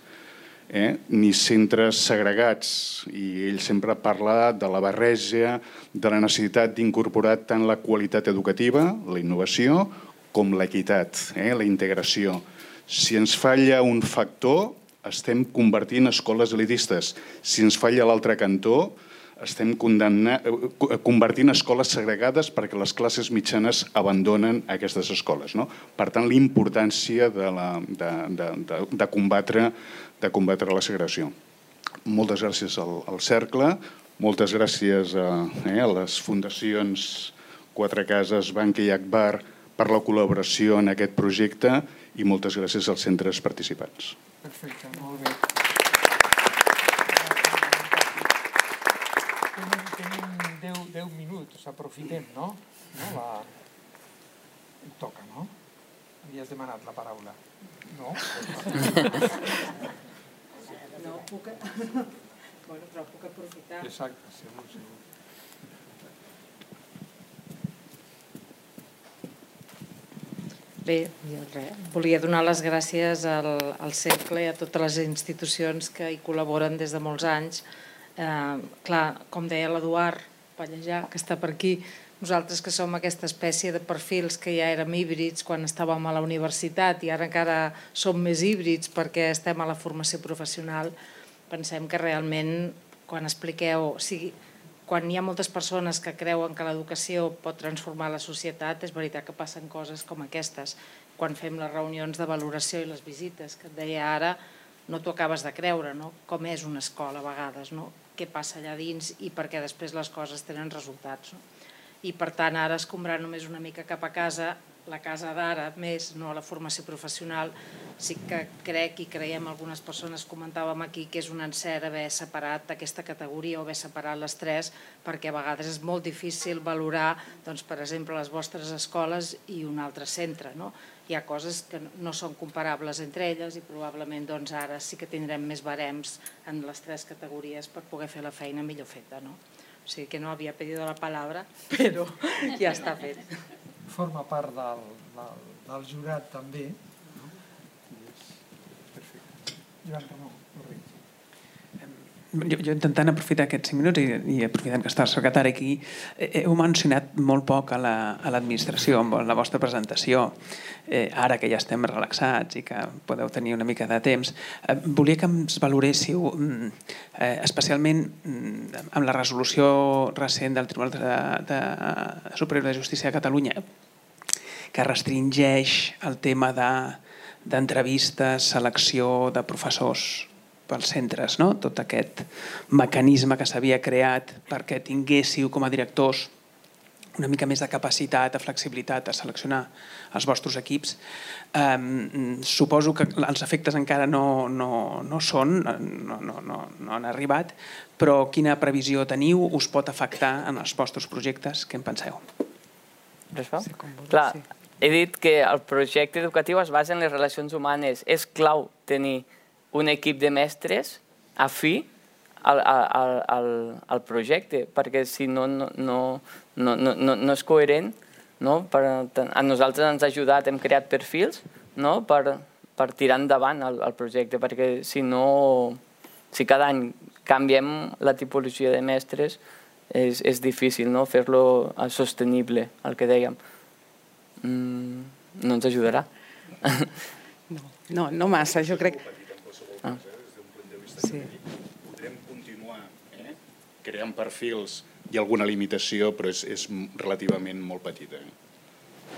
eh? ni centres segregats, i ell sempre parla de la barreja, de la necessitat d'incorporar tant la qualitat educativa, la innovació, com l'equitat, eh? la integració. Si ens falla un factor, estem convertint escoles elitistes. Si ens falla l'altre cantó, estem convertint escoles segregades perquè les classes mitjanes abandonen aquestes escoles. No? Per tant, la importància de, la, de, de, de, de, combatre, de combatre la segregació. Moltes gràcies al, al Cercle, moltes gràcies a, eh, a les fundacions Quatre Cases, Banca i Agbar per la col·laboració en aquest projecte i moltes gràcies als centres participants. Perfecte, molt bé. tenim deu minuts, aprofitem, no? Em toca, no? Havies demanat la paraula. No? No puc... Bueno, però puc aprofitar. Exacte, segur, segur. Bé, volia donar les gràcies al Cercle i a totes les institucions que hi col·laboren des de molts anys. Clar, com deia l'Eduard Pallejà, que està per aquí, nosaltres que som aquesta espècie de perfils que ja érem híbrids quan estàvem a la universitat i ara encara som més híbrids perquè estem a la formació professional, pensem que realment quan expliqueu, o sigui, quan hi ha moltes persones que creuen que l'educació pot transformar la societat, és veritat que passen coses com aquestes. Quan fem les reunions de valoració i les visites, que et deia ara, no t'ho acabes de creure, no? Com és una escola a vegades, no? Què passa allà dins i per què després les coses tenen resultats, no? I per tant ara escombrar només una mica cap a casa, la casa d'ara més, no la formació professional, sí que crec i creiem, algunes persones comentàvem aquí que és un encert haver separat aquesta categoria o haver separat les tres, perquè a vegades és molt difícil valorar, doncs, per exemple, les vostres escoles i un altre centre, no? Hi ha coses que no són comparables entre elles i probablement doncs, ara sí que tindrem més barems en les tres categories per poder fer la feina millor feta, no? O sigui que no havia pedido la paraula, però ja està fet. Forma part del, del, del jurat també. Perfecte. Joan Ramon, correcte. Jo, jo intentant aprofitar aquests cinc minuts i, i aprofitant que està el secretari aquí, heu mencionat molt poc a l'administració amb la vostra presentació. Eh, ara que ja estem relaxats i que podeu tenir una mica de temps, eh, volia que ens valoréssiu eh, especialment amb la resolució recent del Tribunal de, de Superior de Justícia de Catalunya que restringeix el tema d'entrevistes, selecció de professors pels centres, no? Tot aquest mecanisme que s'havia creat perquè tinguéssiu com a directors una mica més de capacitat, de flexibilitat a seleccionar els vostres equips. Eh, suposo que els efectes encara no, no, no són, no, no, no, no han arribat, però quina previsió teniu? Us pot afectar en els vostres projectes? Què en penseu? Sí, clar, he dit que el projecte educatiu es basa en les relacions humanes. És clau tenir un equip de mestres afí al, al, al, al projecte, perquè si no, no, no, no, no, no és coherent. No? Per, a nosaltres ens ha ajudat, hem creat perfils, no? per, per tirar endavant el, el projecte, perquè si no, si cada any canviem la tipologia de mestres, és, és difícil, no? Fer-lo sostenible, el que dèiem. Mm, no ens ajudarà. No, no, no massa, jo crec... Ah. Sí. Podrem continuar eh? creant perfils, hi ha alguna limitació, però és, és relativament molt petita.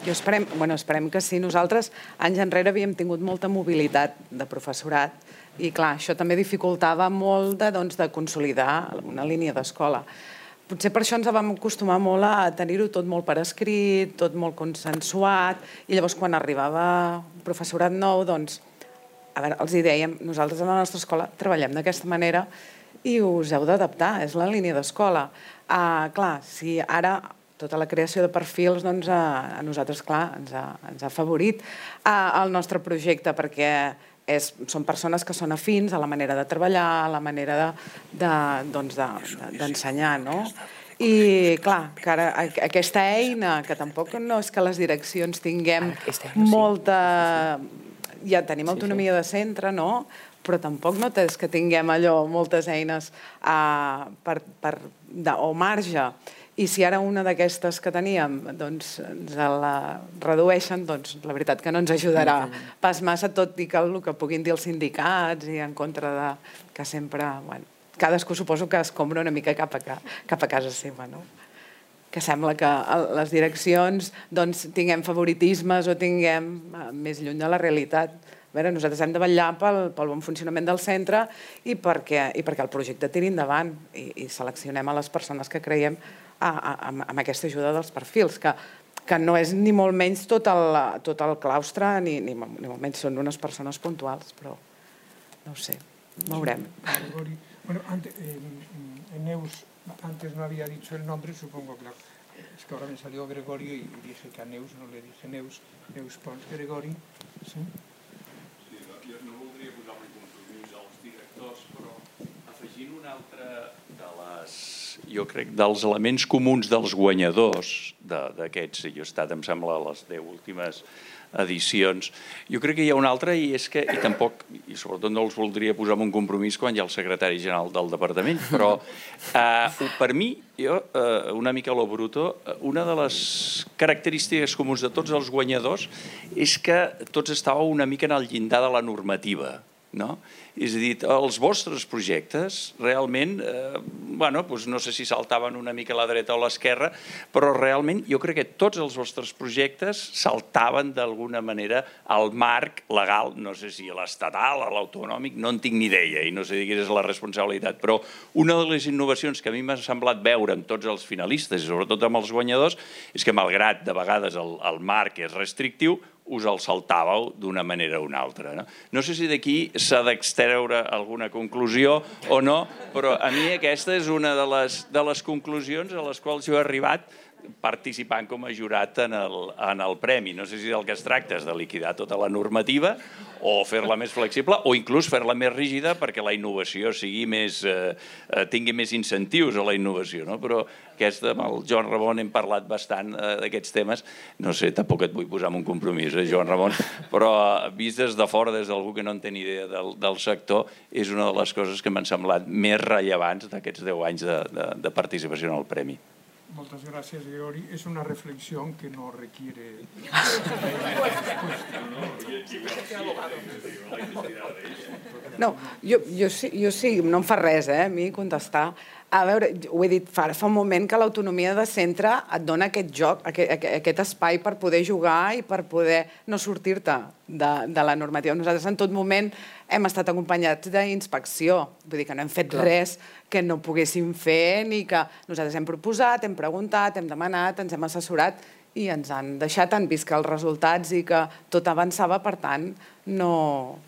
Jo esperem, bueno, esperem que sí. Nosaltres, anys enrere, havíem tingut molta mobilitat de professorat i, clar, això també dificultava molt de, doncs, de consolidar una línia d'escola. Potser per això ens vam acostumar molt a tenir-ho tot molt per escrit, tot molt consensuat, i llavors quan arribava un professorat nou, doncs, a veure, els hi dèiem, nosaltres a la nostra escola treballem d'aquesta manera i us heu d'adaptar, és la línia d'escola. Uh, clar, si ara tota la creació de perfils doncs, a, a nosaltres, clar, ens ha, ens ha favorit uh, el nostre projecte, perquè és, són persones que són afins a la manera de treballar, a la manera d'ensenyar, de, doncs de, no? I, clar, que ara aquesta eina, que tampoc no és que les direccions tinguem molta... Ja tenim autonomia de centre, no? Però tampoc no és que tinguem allò, moltes eines uh, per, per, de, o marge. I si ara una d'aquestes que teníem doncs, ens la redueixen, doncs la veritat que no ens ajudarà pas massa, tot i que el que puguin dir els sindicats i en contra de que sempre... Bueno, cadascú suposo que escombra una mica cap a, cap a casa seva, no? Que sembla que les direccions doncs, tinguem favoritismes o tinguem més lluny de la realitat. A veure, nosaltres hem de vetllar pel, pel bon funcionament del centre i perquè, i perquè el projecte tiri endavant i, i seleccionem a les persones que creiem a, a, amb aquesta ajuda dels perfils, que, que no és ni molt menys tot el, tot el claustre, ni, ni, ni molt menys són unes persones puntuals, però no ho sé, veurem. Bueno, antes, eh, Neus Antes no había dicho el nombre, supongo, claro. Es que ahora me salió Gregorio y dije que a Neus no le dije Neus, Neus Pons Gregori. Sí? Sí, jo no voldria posar-me compromís als directors, però afegint un altre de les, jo crec, dels elements comuns dels guanyadors d'aquests, jo he estat, em sembla, a les deu últimes edicions. Jo crec que hi ha un altre i és que, i tampoc, i sobretot no els voldria posar en un compromís quan hi ha el secretari general del departament, però eh, per mi, jo, eh, una mica a lo bruto, una de les característiques comuns de tots els guanyadors és que tots estàveu una mica en el llindar de la normativa, no? És a dir, els vostres projectes realment, eh, bueno, doncs no sé si saltaven una mica a la dreta o a l'esquerra, però realment jo crec que tots els vostres projectes saltaven d'alguna manera al marc legal, no sé si a l'estatal, a l'autonòmic, no en tinc ni idea i no sé quina és la responsabilitat, però una de les innovacions que a mi m'ha semblat veure amb tots els finalistes i sobretot amb els guanyadors és que malgrat de vegades el, el marc és restrictiu, us el saltàveu d'una manera o una altra. No, no sé si d'aquí s'ha d'extreure alguna conclusió o no, però a mi aquesta és una de les, de les conclusions a les quals jo he arribat participant com a jurat en el, en el premi. No sé si del que es tracta és de liquidar tota la normativa o fer-la més flexible o inclús fer-la més rígida perquè la innovació sigui més, eh, tingui més incentius a la innovació. No? Però aquesta, amb el Joan Ramon hem parlat bastant eh, d'aquests temes. No sé, tampoc et vull posar en un compromís, eh, Joan Ramon, però vist des de fora, des d'algú que no en té ni idea del, del sector, és una de les coses que m'han semblat més rellevants d'aquests deu anys de, de, de participació en el premi. Muchas gracias, Gregory. Es una reflexión que no requiere... No, jo, jo, sí, jo sí, no em fa res, eh, a mi contestar. A veure, ho he dit fa, fa un moment que l'autonomia de centre et dona aquest joc, aquest, aquest espai per poder jugar i per poder no sortir-te de, de la normativa. Nosaltres en tot moment hem estat acompanyats d'inspecció, vull dir que no hem fet res que no poguéssim fer ni que nosaltres hem proposat, hem preguntat, hem demanat, ens hem assessorat i ens han deixat, han vist que els resultats i que tot avançava, per tant, no,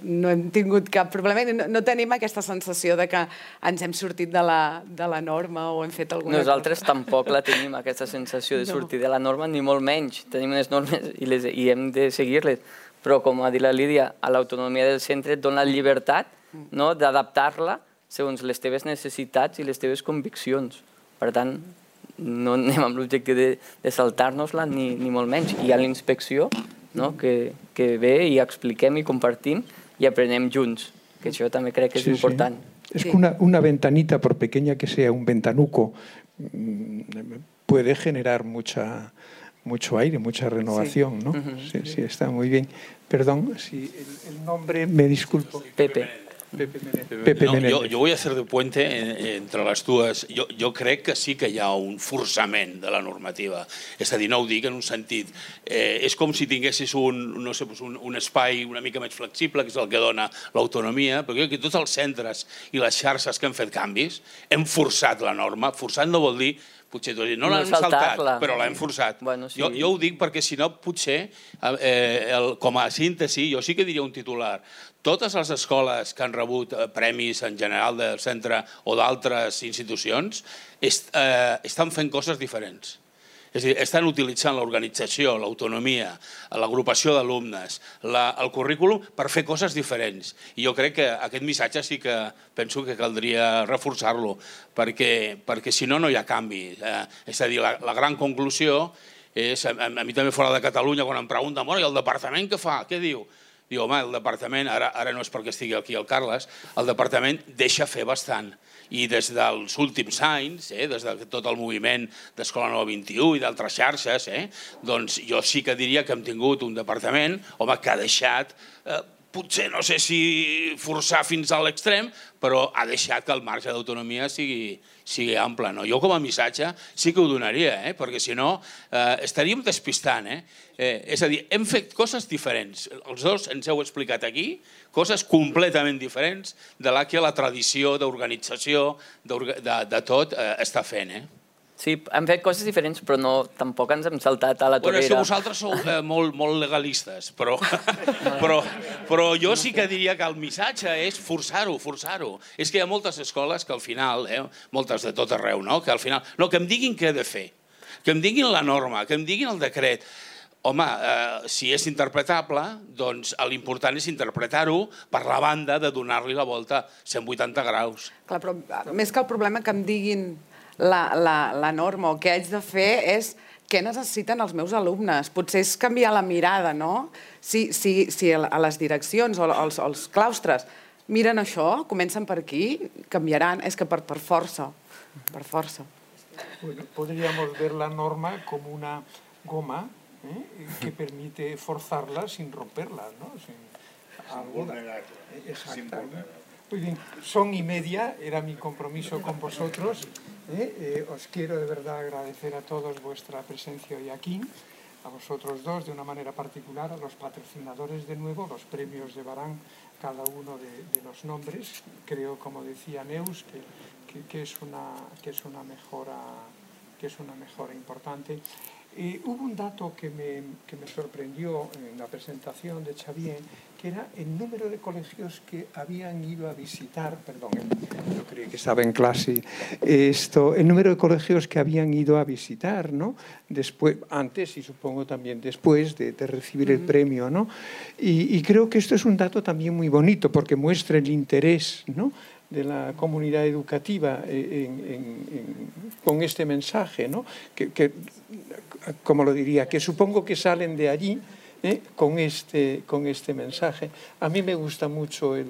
no hem tingut cap problema i no, no tenim aquesta sensació de que ens hem sortit de la, de la norma o hem fet alguna cosa. Nosaltres tampoc la tenim, aquesta sensació de sortir de la norma, ni molt menys. Tenim unes normes i, les, i hem de seguir-les, però com ha dit la Lídia, a l'autonomia del centre et dona llibertat, no?, d'adaptar-la segons les teves necessitats i les teves conviccions. Per tant, no anem amb l'objectiu de, de saltar-nos-la ni, ni molt menys. Hi ha l'inspecció, no?, que, que ve i expliquem i compartim i aprenem junts, que això també crec que és sí, important. Sí. Es que una, una ventanita, por pequeña que sea, un ventanuco, puede generar mucha, mucho aire, mucha renovación, sí. ¿No? Uh-huh. Sí, sí, está muy bien. Perdón, si el, el nombre, me disculpo. Pepe. Pepe Menéndez. No, jo, jo vull fer de puente entre les dues. Jo, jo crec que sí que hi ha un forçament de la normativa. És a dir, no ho dic en un sentit. Eh, és com si tinguessis un, no sé, un, un espai una mica més flexible, que és el que dona l'autonomia, perquè aquí tots els centres i les xarxes que han fet canvis hem forçat la norma. Forçat no vol dir potser no l'hem saltat, però l'hem forçat. Bueno, sí. jo, jo ho dic perquè si no potser, eh, el, com a síntesi, jo sí que diria un titular. Totes les escoles que han rebut premis en general del centre o d'altres institucions est, eh, estan fent coses diferents. És a dir, estan utilitzant l'organització, l'autonomia, l'agrupació d'alumnes, el currículum per fer coses diferents. I jo crec que aquest missatge sí que penso que caldria reforçar-lo, perquè, perquè si no, no hi ha canvi. Eh, és a dir, la, la gran conclusió és, a, a mi també fora de Catalunya, quan em pregunten, bueno, i el departament què fa? Què diu? Diu, home, el departament, ara, ara no és perquè estigui aquí el Carles, el departament deixa fer bastant. I des dels últims anys, eh, des de tot el moviment d'Escola Nova vint-i-u i d'altres xarxes, eh, doncs jo sí que diria que hem tingut un departament, home, que ha deixat, eh, potser no sé si forçar fins a l'extrem, però ha deixat que el marge d'autonomia sigui, sigui ample. No? Jo com a missatge sí que ho donaria, eh, perquè si no eh, estaríem despistant. Eh? Eh, és a dir, hem fet coses diferents. Els dos ens heu explicat aquí coses completament diferents de la que la tradició d'organització de, de tot eh, està fent. Eh? Sí, hem fet coses diferents, però no, tampoc ens hem saltat a la torera. Bueno, és que vosaltres sou eh, molt, molt legalistes, però, però, però jo sí que diria que el missatge és forçar-ho, forçar-ho. És que hi ha moltes escoles que al final, eh, moltes de tot arreu, no? que al final, no, que em diguin què he de fer, que em diguin la norma, que em diguin el decret. Home, eh, si és interpretable, doncs l'important és interpretar-ho per la banda de donar-li la volta cent vuitanta graus. Clar, però més que el problema que em diguin la, la, la norma o què haig de fer és què necessiten els meus alumnes. Potser és canviar la mirada, no? Si, si, si a les direccions o als, als claustres miren això, comencen per aquí, canviaran. És que per, per força, per força. Bueno, podríamos ver la norma como una goma ¿eh? que permite forzarla sin romperla, ¿no? Sin, sin vulnerarla. Exactamente. Muy bien, son y media, era mi compromiso con vosotros. ¿eh? Eh, os quiero de verdad agradecer a todos vuestra presencia hoy aquí, a vosotros dos de una manera particular, a los patrocinadores de nuevo, los premios llevarán cada uno de, de los nombres. Creo, como decía Neus, que, que, que, es, una, que, es, una mejora, que es una mejora importante. Eh, hubo un dato que me, que me sorprendió en la presentación de Xavier, que era el número de colegios que habían ido a visitar, perdón, yo creí que estaba en clase, esto, el número de colegios que habían ido a visitar, ¿no? Después, antes y supongo también después de, de recibir el premio, ¿no? Y, y creo que esto es un dato también muy bonito porque muestra el interés, ¿no? de la comunidad educativa en, en, en, con este mensaje, ¿no? que, que, como lo diría, que supongo que salen de allí ¿eh? con, este, con este mensaje. A mí me gusta mucho el,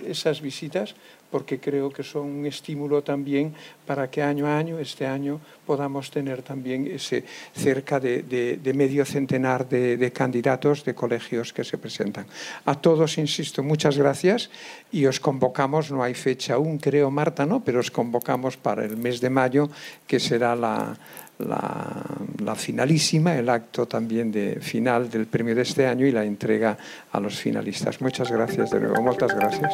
esas visitas porque creo que son un estímulo también para que año a año, este año, podamos tener también ese cerca de, de, de medio centenar de, de candidatos de colegios que se presentan. A todos, insisto, muchas gracias y os convocamos, no hay fecha aún, creo, Marta, ¿no? Pero os convocamos para el mes de mayo, que será la, la, la finalísima, el acto también de final del premio de este año y la entrega a los finalistas. Muchas gracias de nuevo, muchas gracias.